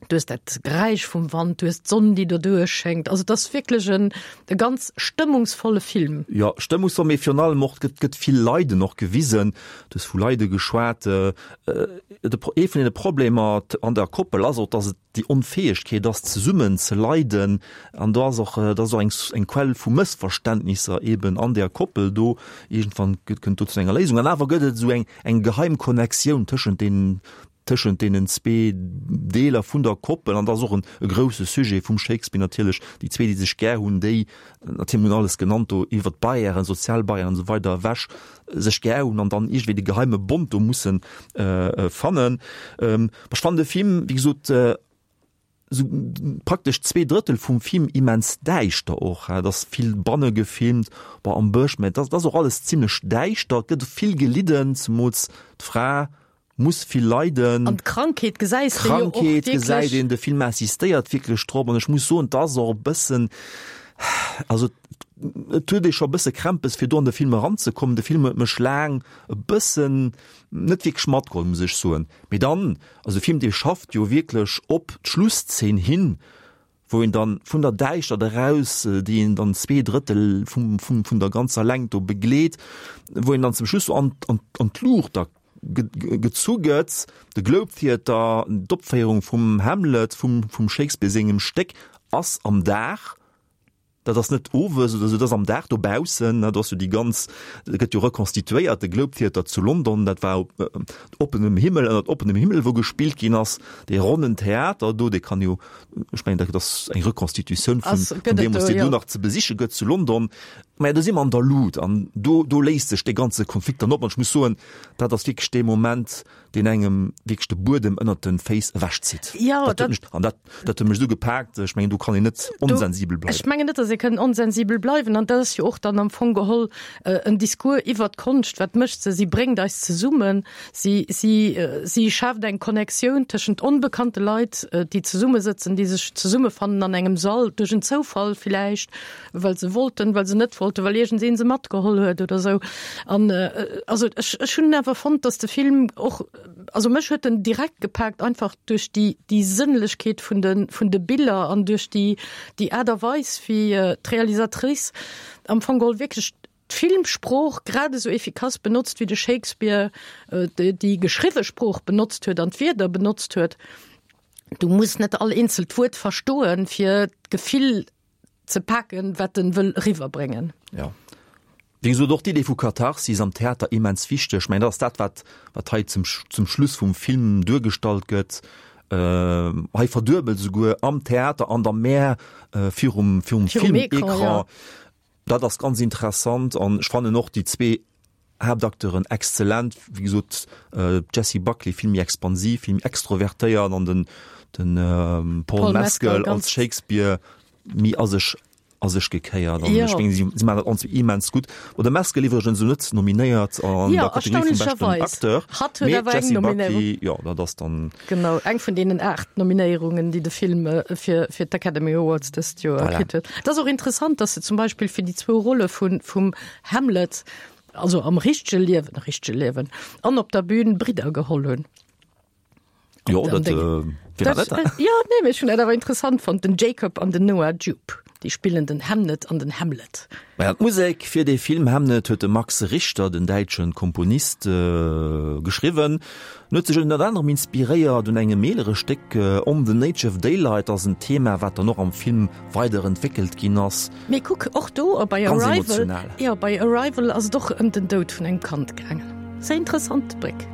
Du hues dat Geräisch vum Wand, du hues d'Sonn, déi doduerch schéngt. Also et ass wierklech en e ganz stëmmungsvolle Film. Jo, stëmmungsvoll, mee virun allem och, et gëtt, gëtt vill Leiden och gewisen. Du hues vu Leide geschwat. De, ee vun deene Problemer an der Koppel ass och, dass et déi Onfäegkeet ass, zesummen ze leiden. An do ass och, dat ass och eng, eng Quell vu Mëssverständnisser eeben an där Koppel do. Iergendwann gëtt, kënnt do zu enger Léisung. An awer gëtt et esou eng, eng geheim Connectioun tëschent deenen, tëschent deenen zwee Deeler vun der Koppel, an dat ass och en e grousse Sujet vum Shakespeare natierlech, déi zwee, déi sech gär hunn, déi natierlech, mir hunn alles genannt do iwwer d'Barrièren, sozial Barrièren an esou weider ewech, sech gär hunn an dann iergendwéi de geheime Bond do mussen fannen. Ech fannen de Film, wéi gesot, esou praktesch zwee Drëttel vum Film immens däischter och. Et ass vill banne gefilmt, bon am Bësch, mä et ass och alles zimlech däischter, et gëtt vill gelidden, zemools d'Fra muss vill leiden. An d'Krankheet gesäis de jo och Krankheet gesäit wierklech. een, de Film insistéiert wierklech drop an ech muss soen, et ass och e bëssen, also et huet ee scho e bësse Krämpes fir do an de Film eranzekommen. De Film huet mech laang e bëssen net wierklech matgeholl, muss ech soen. Mee dann, also de Film dee schafft jo wierklech op d'Schlusszeen hin, wou een dann vun der Däischtert eraus, déi een dann zwee Drëttel vum, vum, vun der ganzer Längt do begleet, wou een dann zum Schluss so an, an, an d'Luucht da gezu gëtt, de Globe Theatre, d'Opféierung vum Hamlet, vum, vum Shakespeare sengem Stéck, ass am Dag, dat ass net owes oder sou, dat ass am Dag dobaussen, dat ass jo déi ganz, dat gëtt jo rekonstituéiert, de Globe Theatre zu London, dat war op oppenem Himmel, ënnert oppenem Himmel, wou gespillt ginn ass, dee ronnen Theater do, dee kann jo, ech mengen, dat ass eng Rekonstitutioun vun, vun deemools, déi do nach ze besiche gëtt zu London. Mä do si mer an der Lut an do, do léist sech dee ganze Konflikt dann op an ech muss soen, dat ass wierklech dee Moment, deen engem wierklech de Buedem ënnert de Féiss ewechzitt. Jo, dat huet mech, an dat, dat huet mech esou gepaakt, ech mengen, do kann een net onsensibel bleiwen. Ech mengen net, datt ee kënn onsensibel bleiwen an dat ass jo och dann am Fong geholl en Discours iwwert d'Konscht. Wat mécht se? Si bréngt eis zesummen, si, si, si schaaft eng Connectioun tëschent onbekannte Leit, déi zesummesëtzen, déi sech zesummefannen an engem Sall, duerch en Zoufall villäicht, well se wollten, well se net wollten, well iergendseen se matgeholl huet oder esou. An also ech, ech hunn awer fonnt, datt de Film och, also mech huet en direkt gepaakt, einfach duerch déi, déi Sënnlechkeet vun de, vun de Biller an duerch déi, déi Aart a Weis, wéi d'Realisatrice am Fong geholl wierklech d'Filmsprooch grad esou efficace benotzt, wéi de Shakespeare déi, déi geschriwwe Sprooch benotzt huet an d'Wierder benotzt huet. Du muss net all eenzelt Wuert verstoen, fir d'Gefill ze paken, wat en wëll eriwwerbréngen. Jo. Wéi gesot, och d'Idee vu Katharsis am Theater immens wichteg. Ech mengen, dat ass dat, wat, wat hei zum, zum Schluss vum Film duergestallt gëtt. Hei verduebelt esouguer am Theater an der Mer virum, virum Filmécran. Dat ass ganz interessant an ech fannen och déi zwee Haaptacteuren exzellent. Wéi gesot, d'Jessie Buckley vill méi expansiv, vill méi extrovertéiert an den, den Paul Mescal als Shakespeare méi a sech a sech gekéiert an ech mengen si si maachen dat allenzwee immens gutt. Bon de Mescal iwwregens esou net nominéiert an Jo, der Kategorie vum beschten erstaunlecherweis. Acteur, Hatt huet mee awer eng d'Jessie Nominéierung. Buckley, jo dat ass dann. Genau, eng vun deenen aacht Nominéierungen, déi de Film fir fir d'Academy Awards dëst Joer Voilà. kritt huet. Et ass och interessant, datt se zum Beispill fir déi zwou Rolle vun vum Hamlet, also am richtege Liewen, richtege Liewen, an op der Bühn Bridder geholl hunn. Jo, dat, äh, fir dat, dat, ja, nee, mee ech hunn dat awer interessant fonnt, den Jacob an den Noah Jupe, déi spillen den Hamnet an den Hamlet. Maja, d'Musek fir dee Film Hamnet huet de Max Richter, den däitschen Komponist, geschriwwen. En huet sech ënnert anerem inspiréiert un engem eelere Stéck, On the Nature of Daylight ass en Thema, wat dann och am Film weider entwéckelt ginn ass. Mee kuck, och do bei Ganz Arrival, emotional. jo, bei Arrival ass et och ëm den Doud vun engem Kand gaangen. Sehr interessant Bréck.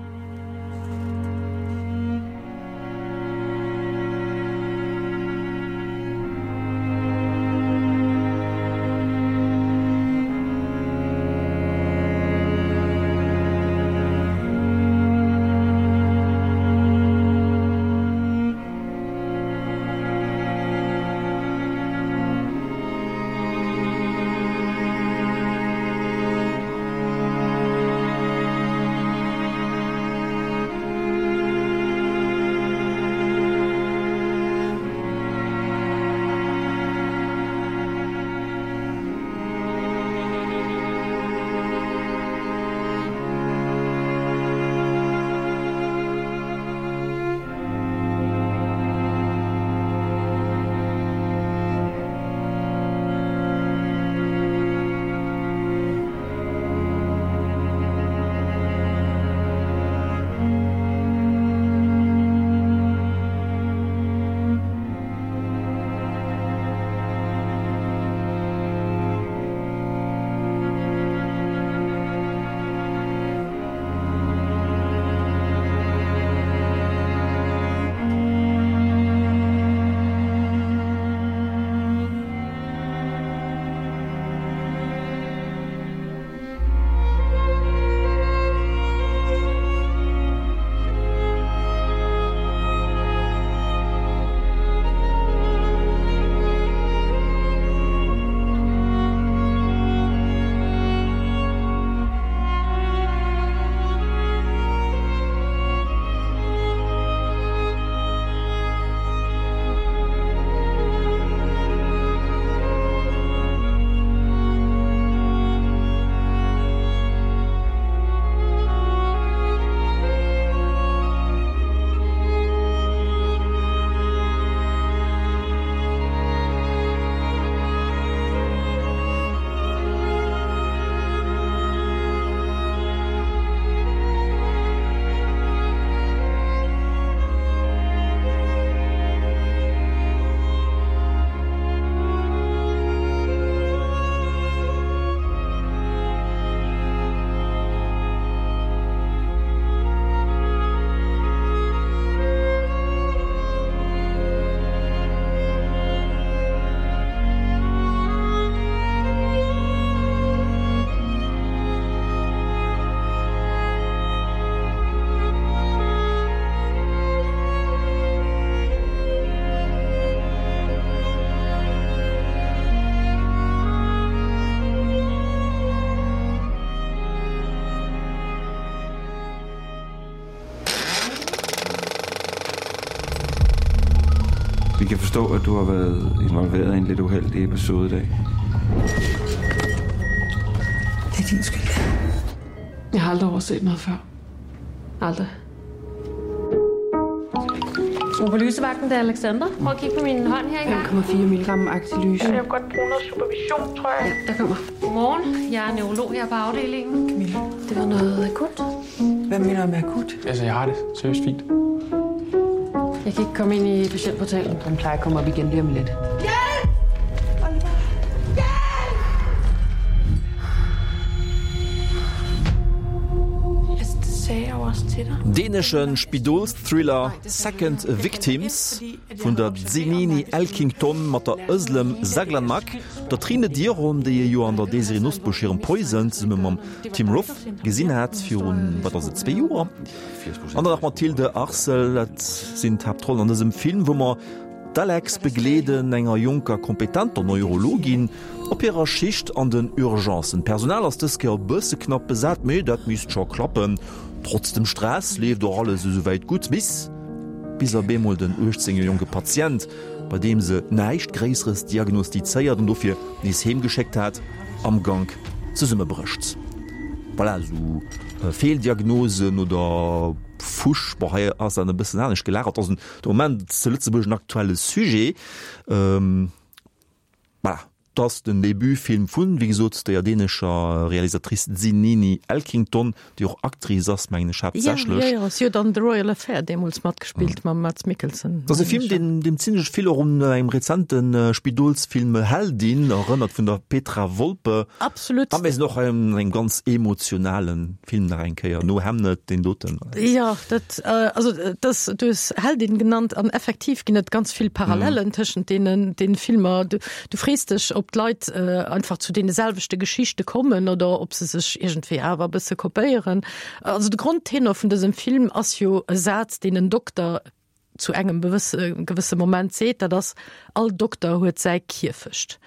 kan forstå, at du har været involveret i en lidt uheldig episode i dag. Det er din skyld. Jeg har aldrig overset noget før. Aldrig. Obolysevagten, det er Alexander. Prøv at kigge på min hånd her engang. fem komma fire milligram Actilyse. Jeg vil godt bruge noget supervision, tror jeg. Ja, der kommer. Godmorgen. Jeg er neurolog her på afdelingen. Camilla. Det var noget akut. Hvad mener du med akut? Altså, jeg har det seriøst fint. Jeg kan ikke komme ind i patientportalen. Den plejer at komme op igen lige om lidt. Hjælp! Oliver! Hjælp! Altså, det sagde jeg jo også til dig. Dänesche Spidolsthriller Second Victims vun der Zinini Elkington mat der Özlem Saglanmak, der Trine Dyrholm, déi ee jo an der Désirée Nosbusch hirem Poison zesumme mam Tim Roth gesinn hat virun, wat ass et, zwee Joer? An dann nach Mathilde Arsel, dat sinn d'Haaptrollen an dësem Film, wou mer d'Alex begleeden, enger jonker, kompetenter Neurologin, op hirer Schicht an den Urgencen. D'Personal ass dës Kéier e bësse knapp besat, mee dat misst scho klappen. Trotz dem Stress leeft och alles esouwäit gutt, bis bis op eemol den uechtzéng Joer jonke Patient, bei deem se näischt Gréisseres diagnostizéiert an dofir nees heem geschéckt hat, am Gank zesummebrécht. Voilà, esou Feeldiagnosen oder Fusch, bon hei ass dat e bëssen anescht gelagert, ass de Moment zu Lëtzebuerg en aktuelle Sujet. Voilà, et ass den Debutfilm vun, wéi gesot, der dänescher Realisatrice Zinini Elkington, déi och Actrice ass, mengen ech, haaptsächlech. Jo, jo, si huet an The Royal Affair deemools matgespillt mam Mads Mikkelsen. Et ass e Film, deen, deem zimlech vill och un engem rezente Spidolsfilm Heldin erënnert vun der Petra Volpe. Absolut. A mir sinn och an engem ganz emotionale Film nach eng Kéier, no Hamnet, deen doten. Jo, dat, also dat, du hues Heldin genannt an effektiv ginn et ganz vill Parallelen tëschent deenen, deenen Filmer. Du, du frees dech, ob d'Leit einfach zu deene selwechte Geschichte kommen oder ob se sech iergendwéi awer e bësse kopéieren. Also de Grondtenor vun dësem Film ass jo e Saz, deen en Dokter zu engem bewësse gewësse Moment seet, dat ass, All Dokter huet säi Kierfecht.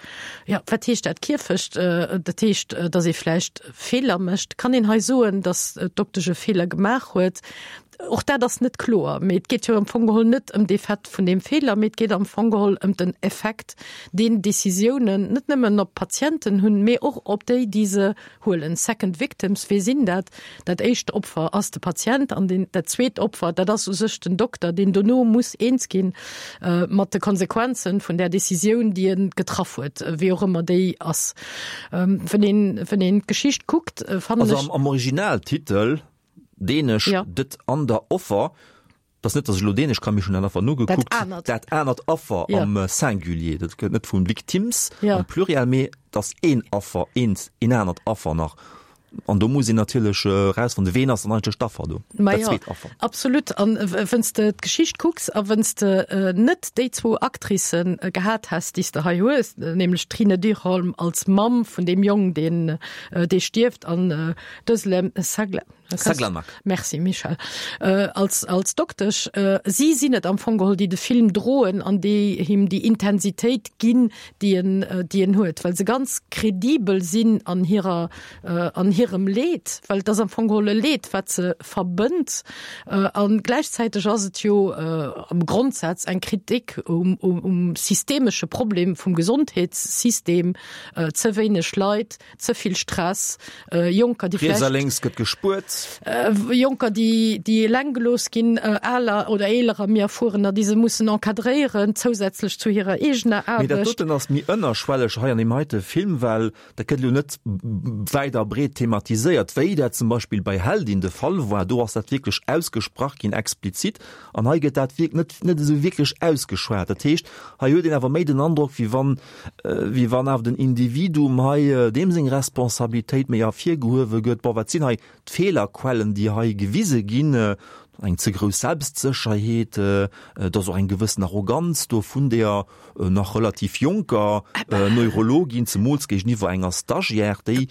Jo, wat heescht dat Kierfecht? Dat heescht, datt ee vläicht Feeler mécht. Kann een hei soen, datt d'Doktesch e Feeler gemaach huet? Och dat ass net kloer. Mee et geet jo am Fong geholl net ëm de Fait vun deem Feeler, mee et geet am Fong geholl ëm den Effekt, deen Decisiounen net nëmmen op d'Patienten hunn, mee och op déi, déi se huelen. Second victims, wie sinn dat? Dat éischt Opfer ass de Patient an deen, dat zweet Opfer, dat ass u sech den Dokter, deen dono muss eens ginn mat de Konsequenzen vun där Decisioun, déi e getraff huet, wéi och ëmmer déi ass. Wann een, wann een d'Geschicht kuckt, fannen Also ech. am, am Originaltitel, dänesch, Ja. Det andre Offer, dat ass net, datt ech elo dänesch kann, mee ech hunn dat einfach nogekuckt, Dat anert. dat anert Affer Ja. am Singulier, dat gëtt net vun Victims Ja. am Pluriel, mee et ass een Affer, eent, een anert Affer nach. An do muss een natierlech erausfannen, ween ass dann eigentlech d'Affer do, Ma dat jo, zweet Affer. absolut. An wenn's de d'Geschicht kucks a wenn's de net déi zwou Actricen gehat häss, déi s de hei hues, nämlech d'Trine Dyrholm als Mamm vun deem Jong, deen, dee stierft, an d'Özlem Sagla, Saglanak. Merci Michel. Als, als Doktesch. Si sinn et am Fong geholl, déi de Film droen an déi him déi Intensitéit ginn, déi en, déi en huet, well se ganz kredibel sinn an hirer, an hirem Leed, well et ass am Fong geholl e Leed, wat se verbënnt. A gläichzäiteg ass et jo am Grondsaz eng Kritik um, um, um systemesche Problem vum Gesondheetssystem, ze wéineg Leit, ze vill Stress, Jonker, déi Riets a vläicht. lénks gëtt gespuert. Jonker, déi, déi eleng gelooss ginn, aler oder eelerer, méi erfuerener, déi se mussen encadréieren, zousätzlech zu hirer eegener Mee dat Aarbecht. doten ass méi ënnerschwelleg hei an deem heite Film, well dat gëtt elo net wäit a breet thematiséiert, wéi dat zum Beispill bei Heldin de Fall war. Do ass dat wierklech ausgesprach ginn, explizit. An hei gëtt dat wierk net, net esou wierklech ausgeschwat. Dat heescht, hei huet een awer méi den Androck, wéi wann, wéi wann awer den Individuum hei, deem seng Responsabilitéit méi ervirgehuewe gëtt. Bon, wat sinn hei d'Feelerquellen, déi hei gewise ginn? Eng ze grouss Selbstsécherheet, et ass och eng gewëssen Arroganz do vun der nach relativ jonker Neurologin, zemools géigeniwwer enger Stagiaire, déi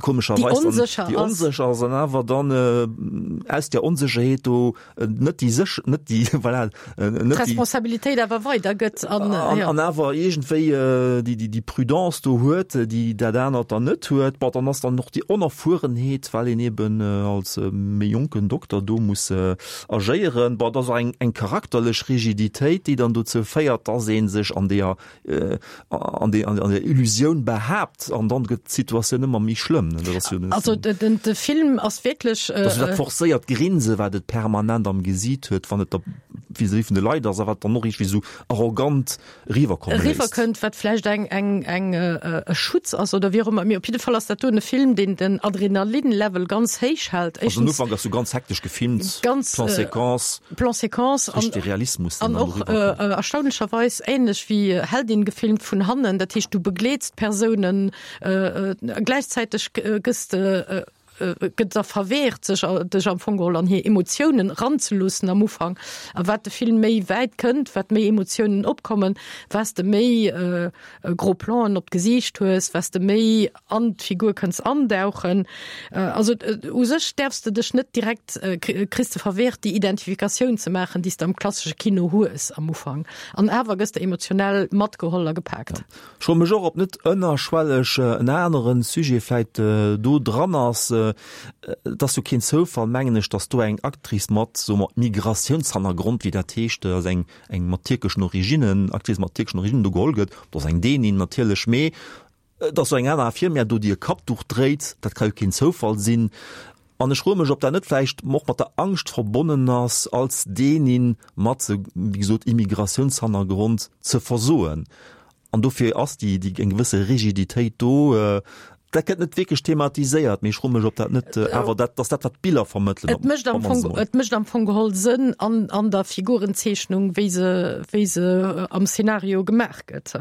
komescherweis dann, déi onsécher ass an awer dann aus der Onsécherheet do net déi séch, net déi, voilà, net déi. D'Responsabilitéit awer weidergëtt an, jo. An awer iergendwéi déi, déi, déi Prudence do huet, déi dat anert dann net huet. Bon, dann ass dann och déi Onerfuerenheet, well een eben als méi jonken Dokter do muss agéieren. Bon, et ass och eng eng charakterlech Rigiditéit, déi dann dozou féiert, dass ee sech an deeër an deeër an der Illusioun behaapt an dann gëtt d'Situatioun ëmmer méi schlëmm. Dat ass jo Also den de Film ass wierklech. Dass dat forcéiert Grinse wat et permanent am Gesiit huet, wann et da vis-à-vis vun de Leit ass a wat dann och iergendwéi esou arrogant eriwwerkomme léisst. Eriwwerkënnt, wat vläicht eng eng eng e Schutz ass oder wéi och ëmmer. Mee op jidde Fall ass dat do e Film, deen den Adrenalin-Level ganz héich hält. Also den Ufank ass jo ganz hektesch gefilmt, ganz Plan-séquence, Plan-séquence an richteg Realismus, deen an dann och eriwwerkënnt. erstaunlecherweis ähnlech wéi Heldin gefilmt vun hannen. Dat heescht, du begleets d'Persounen, gläichzäiteg gëss de gëtt der verwehrt, sech dech am Fong geholl an hir Emotiounen eranzeloossen am Ufank. A wat de Film méi wäit kënnt, wat méi Emotiounen opkommen, wat s de méi gros Plan'en op d'Gesiicht hues, wat s de méi an d'Figur kënns andauchen. Also u sech däerfs de dech net direkt, kriss de verwehrt, déi Identifikatioun ze maachen, déi s de am klassesche Kino hues am Ufank. An awer gëss de emotionell matgeholl a gepaakt. Ech froe mech och, ob net ënnerschwelleg en anere Sujet vläit do dran ass. Et ass jo keen Zoufall, mengen ech, datt do eng Actrice mat, soe mer, Migratiounshannergrond, wéi dat heescht, also eng, eng mat tierkeschen Originnen, Actrice mat tierkeschen Originnen do geholl gëtt. Dat ass eng Dänin natierlech, mee et ass jo eng aner Infirmière do, déi e Kappduch dréit. Dat ka jo keen Zoufall sinn. An ech froe mech, ob dat net vläicht och mat der Angscht verbonnen ass, als Dänin mat, wéi gesot, Immigratiounshannergrond ze versoen. An dofir ass déi, déi eng gewësse Rigiditéit do. Dat gëtt net wierklech thematiséiert, mee ech froe mech, ob dat net awer dat ass, dat wat d'Biller vermëttelen. Et mécht am Fong, et mécht am Fong geholl Sënn an, an der Figurenzeechnung, wéi se, wéi se am Szenario gemaach gëtt.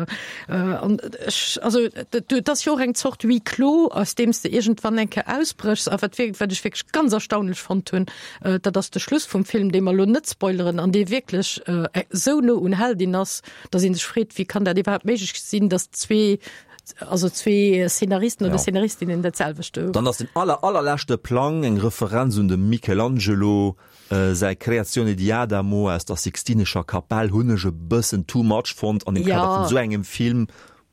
An ech, also et ass jo och eng Zort Huis clos, aus deem s de iergendwann eng Kéier ausbréchs. A wat wierk, wat ech wierklech ganz erstaunlech fonnt hunn, dat ass de Schluss vum Film, dee mer elo net spoileren an dee wierklech esou no un Heldin ass, datt ee sech freet, wéi kann dat iwwerhaapt méiglech sinn, datt zwee, also zwee Szenaristen oder Szenaristinnen dat selwecht do. Dann ass den aller allerleschte Plang eng Referenz un dem Michelangelo säi Creazione di Adamo aus der Sixtinescher Kapell, hunn ech e bëssen too much fonnt an dem Kader vun esou engem Film.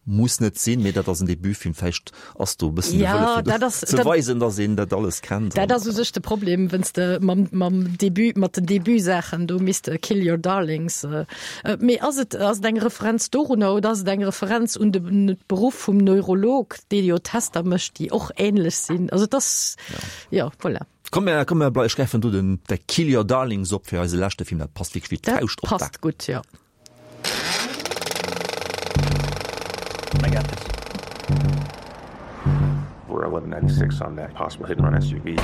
Muss net sinn, mee dat ass en Debutfilm, vläicht ass do e bëssen de Wëlle fir do ze weisen, datt een dat alles kennt. Dat ass u sech de Problem, wann s de mam, mam Debut, mat den Debutsaachen do misst Kill Your Darlings. Mee ass et, ass et eng Referenz dorunner oder ass et eng Referenz un de Beruff vum Neurolog, dee jo Tester mécht, déi och änlech sinn? Also et ass, jo, voilà. Komm mir, komm mir, ech gräifen do den de Kill Your Darlings op fir eise leschte Film, dat passt wierklech wéi d'Fauscht op d'A. Dat passt gutt, jo. I got this. We're eleven ninety-six on that possible hit and run S U V.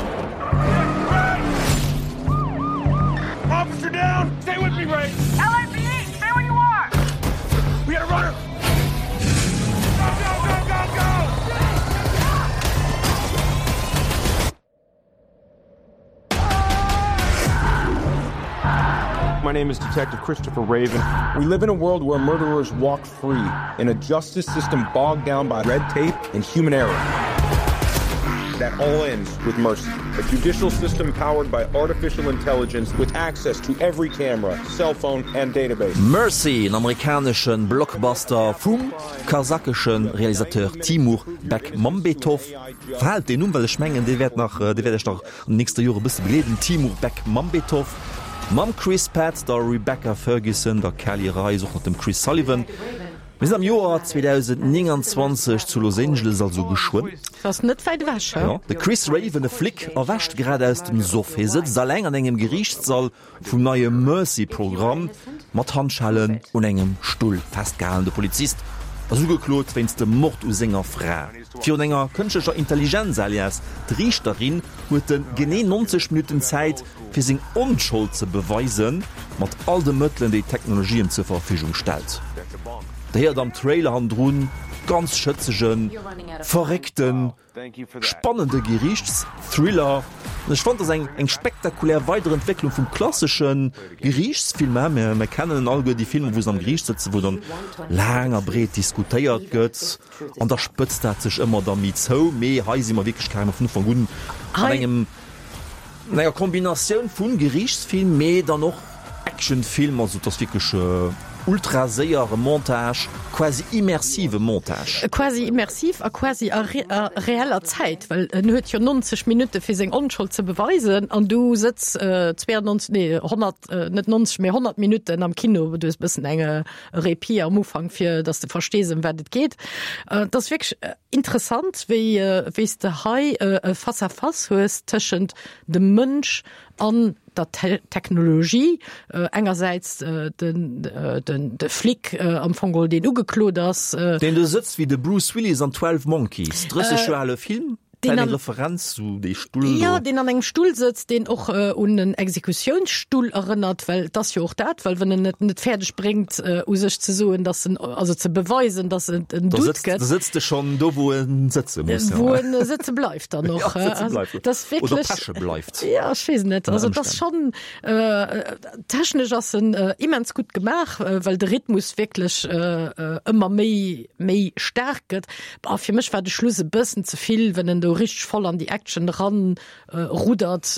Officer down! Stay with me, Ray! L A P D, stay where you are! We got a runner! Go, go, go, go, go! My name is Detective Christopher Raven. We live in a world where murderers walk free, in a justice system bogged down by red tape and human error. That all ends with mercy. A judicial system powered by artificial intelligence with access to every camera, cell phone and database. Mercy, en amerikanesche Blockbuster vum kasachesche Realisateur Timur Bekmambetov. Verhaalt deen Numm, well ech mengen, dee wäert nach, dee wäert iech nach an den nächste Jore e bësse begleeden, Timur Bekmambetov. Mam Chris Pratt, der Rebecca Ferguson, der Kelly Reis, och nach dem Chris Sullivan. Mir sinn am Joer zweedausendnénganzwanzeg zu Los Angeles, also geschwënn. Ass net wäit ewech, he? Jo, de Chris Raven, e Flic, erwächt grad aus dem Soff. Hie sëtzt alleng an engem Geriichtssall vum neie Mercy-Programm, mat Handschellen un engem Stull festgehalen. De Polizist ass ugeklot wéinst dem Mord u senger Fra. Virun enger kënschtlecher Intelligenz, alias d'Riichterin, huet en genee neunzeg Minutten Zäit, fir seng Onschold ze beweisen, mat all de Mëttelen, déi d'Technologie em zur Verfügung stellt. Der héiert am Trailer hannendrun ganz schëtzegen, verréckten, spannende Geriichtsthriller. An ech fannen, et ass eng eng spektakulär Weiderentwécklung vum klassesche Geriichtsfilm. Mir mir kennen alleguer déi Filmer, wou se am Geriicht sëtzen, wou dann laang a breet diskutéiert gëtt an da spëtzt dat sech ëmmer da méi zou. Mee hei si mer wierklech carrément vun Ufank un an engem, an enger Kombinatioun vu Geriichtsfilm, mee dann och Actionfilm. Also et ass wierklech ultra séiere Montage, quasi immersive Montage. Quasi immersiv a quasi a a reeller Zäit, well en huet jo nonzeg Minutte fir seng Onschold ze beweisen an du sëtz zweiundneunzeg, nee honnert, net nonzeg, mee honnert Minutten am Kino, du hues e bëssen eng Répit am Ufank fir dass de verstees ëm wat et geet. Et ass wierklech interessant wéi wéi s de hei e Face à face hues tëschent dem Mënsch an der Technologie, engersäits den den de Flic am Fong geholl deen ugeklot ass. Deen do sëtzt wéi de Bruce Willis an Twelve Monkeys, drësseg Joer ale Film. Deen Eng an, Referenz zu dee Stull do. Jo, deen an engem Stull sëtzt, deen och un en Exekutiounsstull erënnert, well et ass jo och dat, well wann en et net fäerdeg bréngt, u sech ze soen, dass en, also ze beweisen, dass et en Da Doute sëtzt, gëtt. da sëtzt e schonn do, wou e sëtze muss. Wou en sëtze bleift dann och. Ja, sëtze Also, bleift. dat ass Oder wierklech. peche bleift. Ja, ech weess net. Ënner Also, et ass Ëmstänn. schonn, technesch ass en immens gutt gemaach, well de Rhythmus wierklech ëmmer méi, méi staark gëtt. Bah, fir mech war de Schluss e bëssen ze vill, wenn en do richteg voll an déi Action ran ruddert.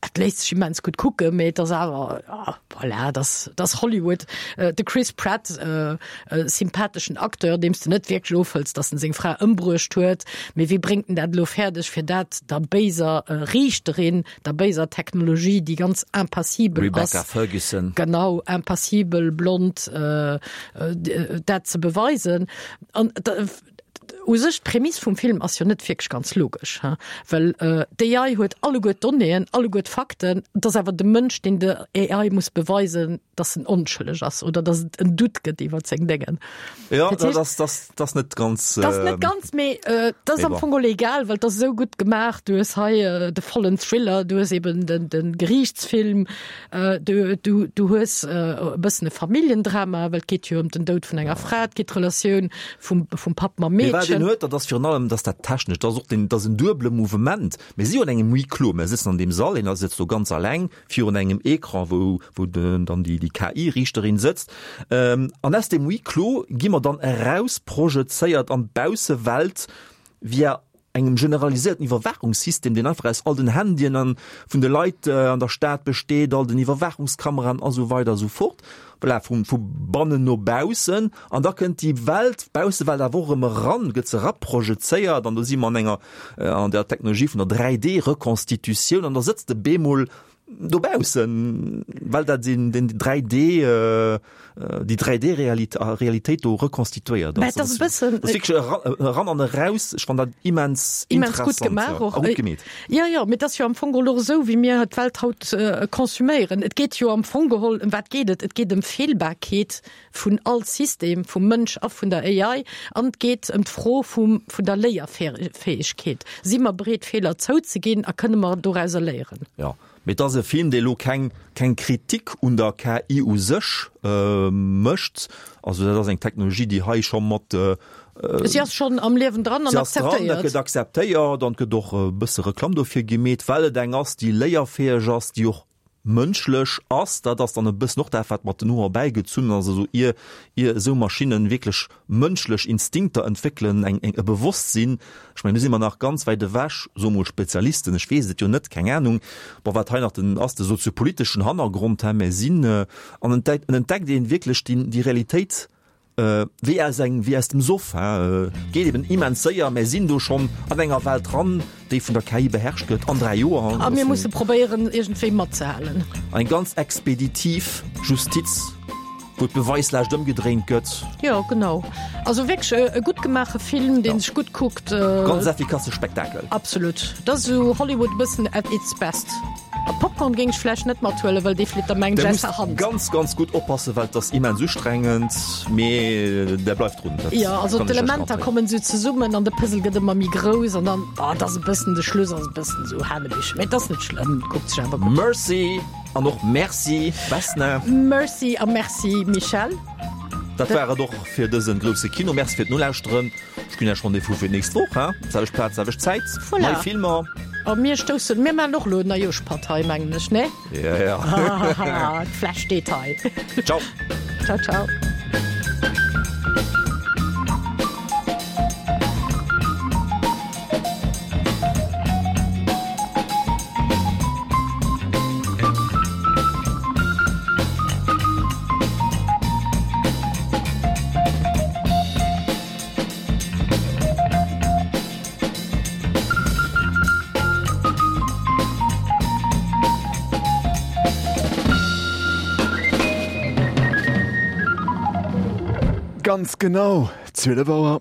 Et léisst sech immens gutt kucken, mee et ass awer, ja, voilà, et ass, et ass Hollywood. De Chris Pratt, e sympatheschen Acteur, deem s de net wierklech ofhëls, datt en seng Fra ëmbruecht huet, mee wéi bréngt en dat elo fäerdeg, fir dat der béiser Riichterin, der béiser Technologie, déi ganz impassibel ass, Rebecca Ferguson. genau, impassibel, blond, dat ze beweisen? An U sech, d'Prämiss vum Film ass jo net wierklech ganz logesch, he? Well d'A I huet alleguer d'Donnéeën, alleguer d'Fakten, et ass awer de Mënsch, deen der A I muss beweisen, dass en onschëlleg ass oder dass et en Doute gëtt iwwer seng Déngen. Jo, Dat heescht, dat ass, dat ass net ganz. Dat ass net ganz, mee dat ass mee am bon. Fong geholl egal, well et ass esou gutt gemaach. Du hues hei de vollen Thriller, du hues eben den, de Geriichtsfilm, du, du, du hues e bëssen e Familljendrama, well et geet jo ëm den Doud vun enger Fra, et geet d'Relatioun vum, vum Papp mam Mee wat Meedchen. een huet, dat ass virun allem, dass dat technesch, dat ass och den, dat ass en duebele Mouvement. Mir si jo an engem Huis clos, mir sëtzen an deem Sall, een sëtzt do ganz alleng virun engem Ecran, wou, wou den, dann déi, déi K I-Riichterin sëtzt. An aus deem Huis clos gi mer dann eraus projezéiert an d'Baussewelt via engem generaliséierten Iwwerwaachungssystem, deen einfach aus all den Handyen an vun de Leit an der Stad besteet, all den Iwwerwaachungskameraen a sou weider a sou fort. Voilà, vu, vu bannen no baussen. An da kënnt déi Welt, d'Baussewelt awer och erëm eran, gëtt se eraprojezéiert an do si mer an enger, an der Technologie vun der dräi D-Rekonstitutioun an da sëtzt de bemol dobaussen, well dat den, den dräi D, déi dräi D-Realitéit do rekonstituéiert ass. Dat ass e bëssen. Dat ass wierklech eran an eraus. Ech fannen dat immens immens gutt interessant, gemaach ja. och. A gutt gemeet. Jo, jo, mee et ass jo am Fong geholl och esou, wéi mir d'Welt haut konsuméieren. Et geet jo am Fong geholl, ëm wat geet et? Et geet ëm Feelbarkeet vun all System, vum Mënsch a vun der A I. An et geet ëm d'Fro vum, vun der Léierfäegkeet. Si mer bereet, Feeler zouzeginn a kënne mer dorauser léieren? Jo. Mee et ass e Film, dee elo keng, keng Kritik un der K I u sech mécht. Also dat ass eng Technologie, déi hei scho mat. Si ass schonn am Liewen dran an Si ass dran, dat akzeptéiert. gëtt akzeptéiert an et gëtt och e bësse Reklamm dofir gemeet, well et eng ass, déi léierfäeg ass, déi och mënschlech ass. Dat ass dann e bëssen och dat, wat mat den Hoer erbäigezunn ass. Also ier, ier esou Maschinnen wierklech mënschlech Instinkter entwéckelen, eng, eng, e Bewosstsinn, ech mengen, do si mer nach ganz wäit ewech, soe mol Spezialisten, ech weess et jo net, keng Ahnung, bon, wat hei nach den ass, de soziopoliteschen Hannergrond, hä, mä sinn, an entdeckt, en entdeckt een wierklech déi, déi Realitéit, wéi aus engem, wéi aus dem Soff, hä, geet eben immens séier, mär sinn do schonn an enger Welt dran, déi vun der K I beherrscht gëtt an dräi Joer. A mir musse probéieren, iergendwéi matzehalen. Eng ganz expeditiv Justiz, wou d'Beweislaascht ëmgedréint gëtt. Jo, genau. Also wierklech e gutt gemaache Film, dee sech gutt kuckt. Ganz effikasse Spektakel. Absolut. Dat ass esou Hollywood e bëssen at its best. A Popcorn géing ech vläicht net mathuelen, well dee flitt der mengen Der ech aus muss der Hand. ganz ganz gutt oppassen, well et ass immens ustrengend, mee der bleift drun. Dat Jo, also kann ech lech d'Elementer garantéieren. kommen esou zesummen an de Puzzle gëtt ëmmer méi grouss an dann, oh, et ass e bëssen, de Schluss ass e bëssen esou hanebich, mee et ass net schlëmm, et kuckt sech awer gutt. Mercy an och Merci Vesna. Mercy a Merci Michèle. Dat war et och fir dësen grousse Kino. Merci fir d'Nolauschteren. Ech ginn Iech Rendez-vous fir d'nächst Woch, hein? Selwecht Plaz, selwecht Zäit. Voilà. Nei Filmer. A mir stoussen, mir maachen och elo en Neijooschpatt hei, mengen ech, ne? Ja, ja. D'Fläsch steet hei. Ciao. Ciao, ciao. ganz genau zwielef Auer.